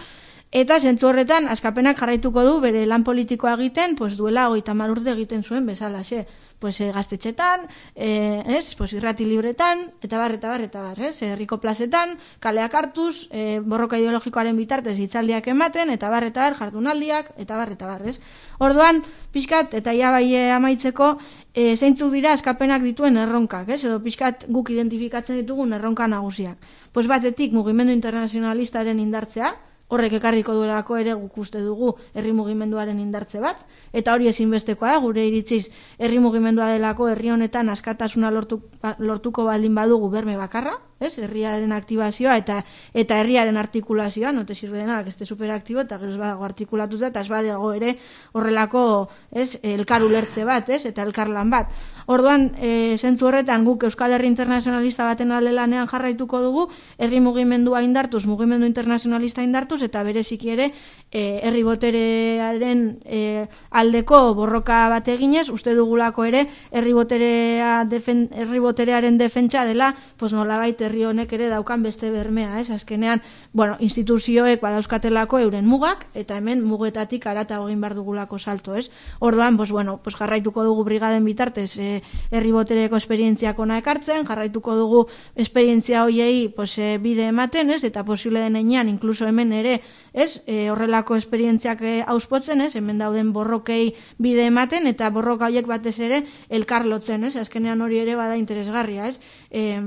eta zentzu horretan askapenak jarraituko du bere lan politikoa egiten, pues duela hogeita hamar urte egiten zuen bezalaxe, pues eh, gaztetxetan, eh, ez, pues irrati libretan, eta bar, eta bar, eta bar, ez, herriko plazetan, kaleak hartuz, eh, borroka ideologikoaren bitartez hitzaldiak ematen, eta bar, eta bar, jardunaldiak, eta bar, eta bar, ez. Orduan, pixkat, eta ia bai amaitzeko, eh, zeintzuk dira askapenak dituen erronkak, ez, edo pixkat guk identifikatzen ditugun erronka nagusiak. Pues batetik mugimendu internazionalistaren indartzea, horrek ekarriko duelako ere guk uste dugu herri mugimenduaren indartze bat, eta hori ezinbestekoa da, gure iritziz herri mugimendua delako herri honetan askatasuna lortu, lortuko baldin badugu berme bakarra, ez? Herriaren aktibazioa eta eta herriaren artikulazioa, no te sirve de nada que esté superaktibo eta gero ez badago artikulatuta eta ez badago ere horrelako, ez, elkar ulertze bat, ez, eta elkarlan bat. Orduan, e, zentzu horretan guk Euskal Herri Internazionalista baten alde lanean jarraituko dugu, herri mugimendua indartuz, mugimendu internazionalista indartuz, eta bereziki ere e, herri boterearen e, aldeko borroka bat eginez, uste dugulako ere herri boterea defen, herri boterearen defentsa dela, pues nolabait herri honek ere daukan beste bermea, ez? Azkenean, bueno, instituzioek badauzkatelako euren mugak, eta hemen mugetatik haratago egin behar dugulako salto, ez? Orduan, pues bueno, pues jarraituko dugu brigaden bitartez e, herri botereko esperientziak ona ekartzen, jarraituko dugu esperientzia hoiei pues, e, bide ematen, ez? Eta posible denean, inkluso hemen ere, ez? E, horrelako esperientziak e, auspotzen, ez? Hemen dauden borrokei bide ematen, eta borroka horiek batez ere elkar lotzen, ez? Azkenean hori ere bada interesgarria, ez? E,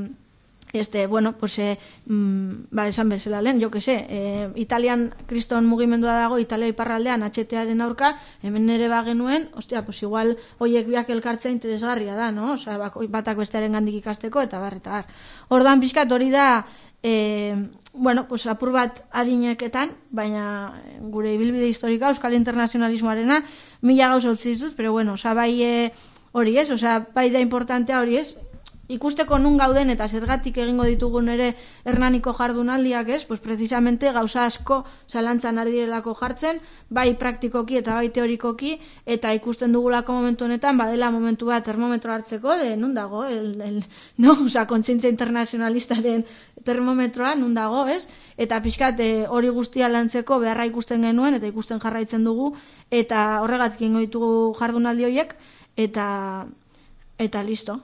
Este, bueno, pues, eh, mm, ba, esan bezala lehen, jo que se, eh, Italian kriston mugimendua dago, Italia iparraldean atxetearen aurka, hemen ere bagenuen, ostia, pues igual hoiek biak elkartzea interesgarria da, no? Osa, batak bestearen gandik ikasteko, eta bar, eta bar. Ordan pixkat hori da, eh, bueno, pues apur bat harineketan, baina gure ibilbide historika, Euskal Internazionalismoarena, mila gauza utzi dituz, pero bueno, osa, bai eh, hori ez, osa, bai da importantea hori ez, ikusteko nun gauden eta zergatik egingo ditugun ere Hernaniko jardunaldiak, ez? Pues precisamente gauza asko zalantzan ari direlako jartzen, bai praktikoki eta bai teorikoki, eta ikusten dugulako momentu honetan, badela momentu bat termometro hartzeko, de nun dago, el, el, no? Osa, kontzientzia internazionalistaren termometroa nun dago, ez? Eta pixkat hori guztia lantzeko beharra ikusten genuen, eta ikusten jarraitzen dugu, eta horregatik egingo ditugu jardunaldi horiek, eta, eta listo.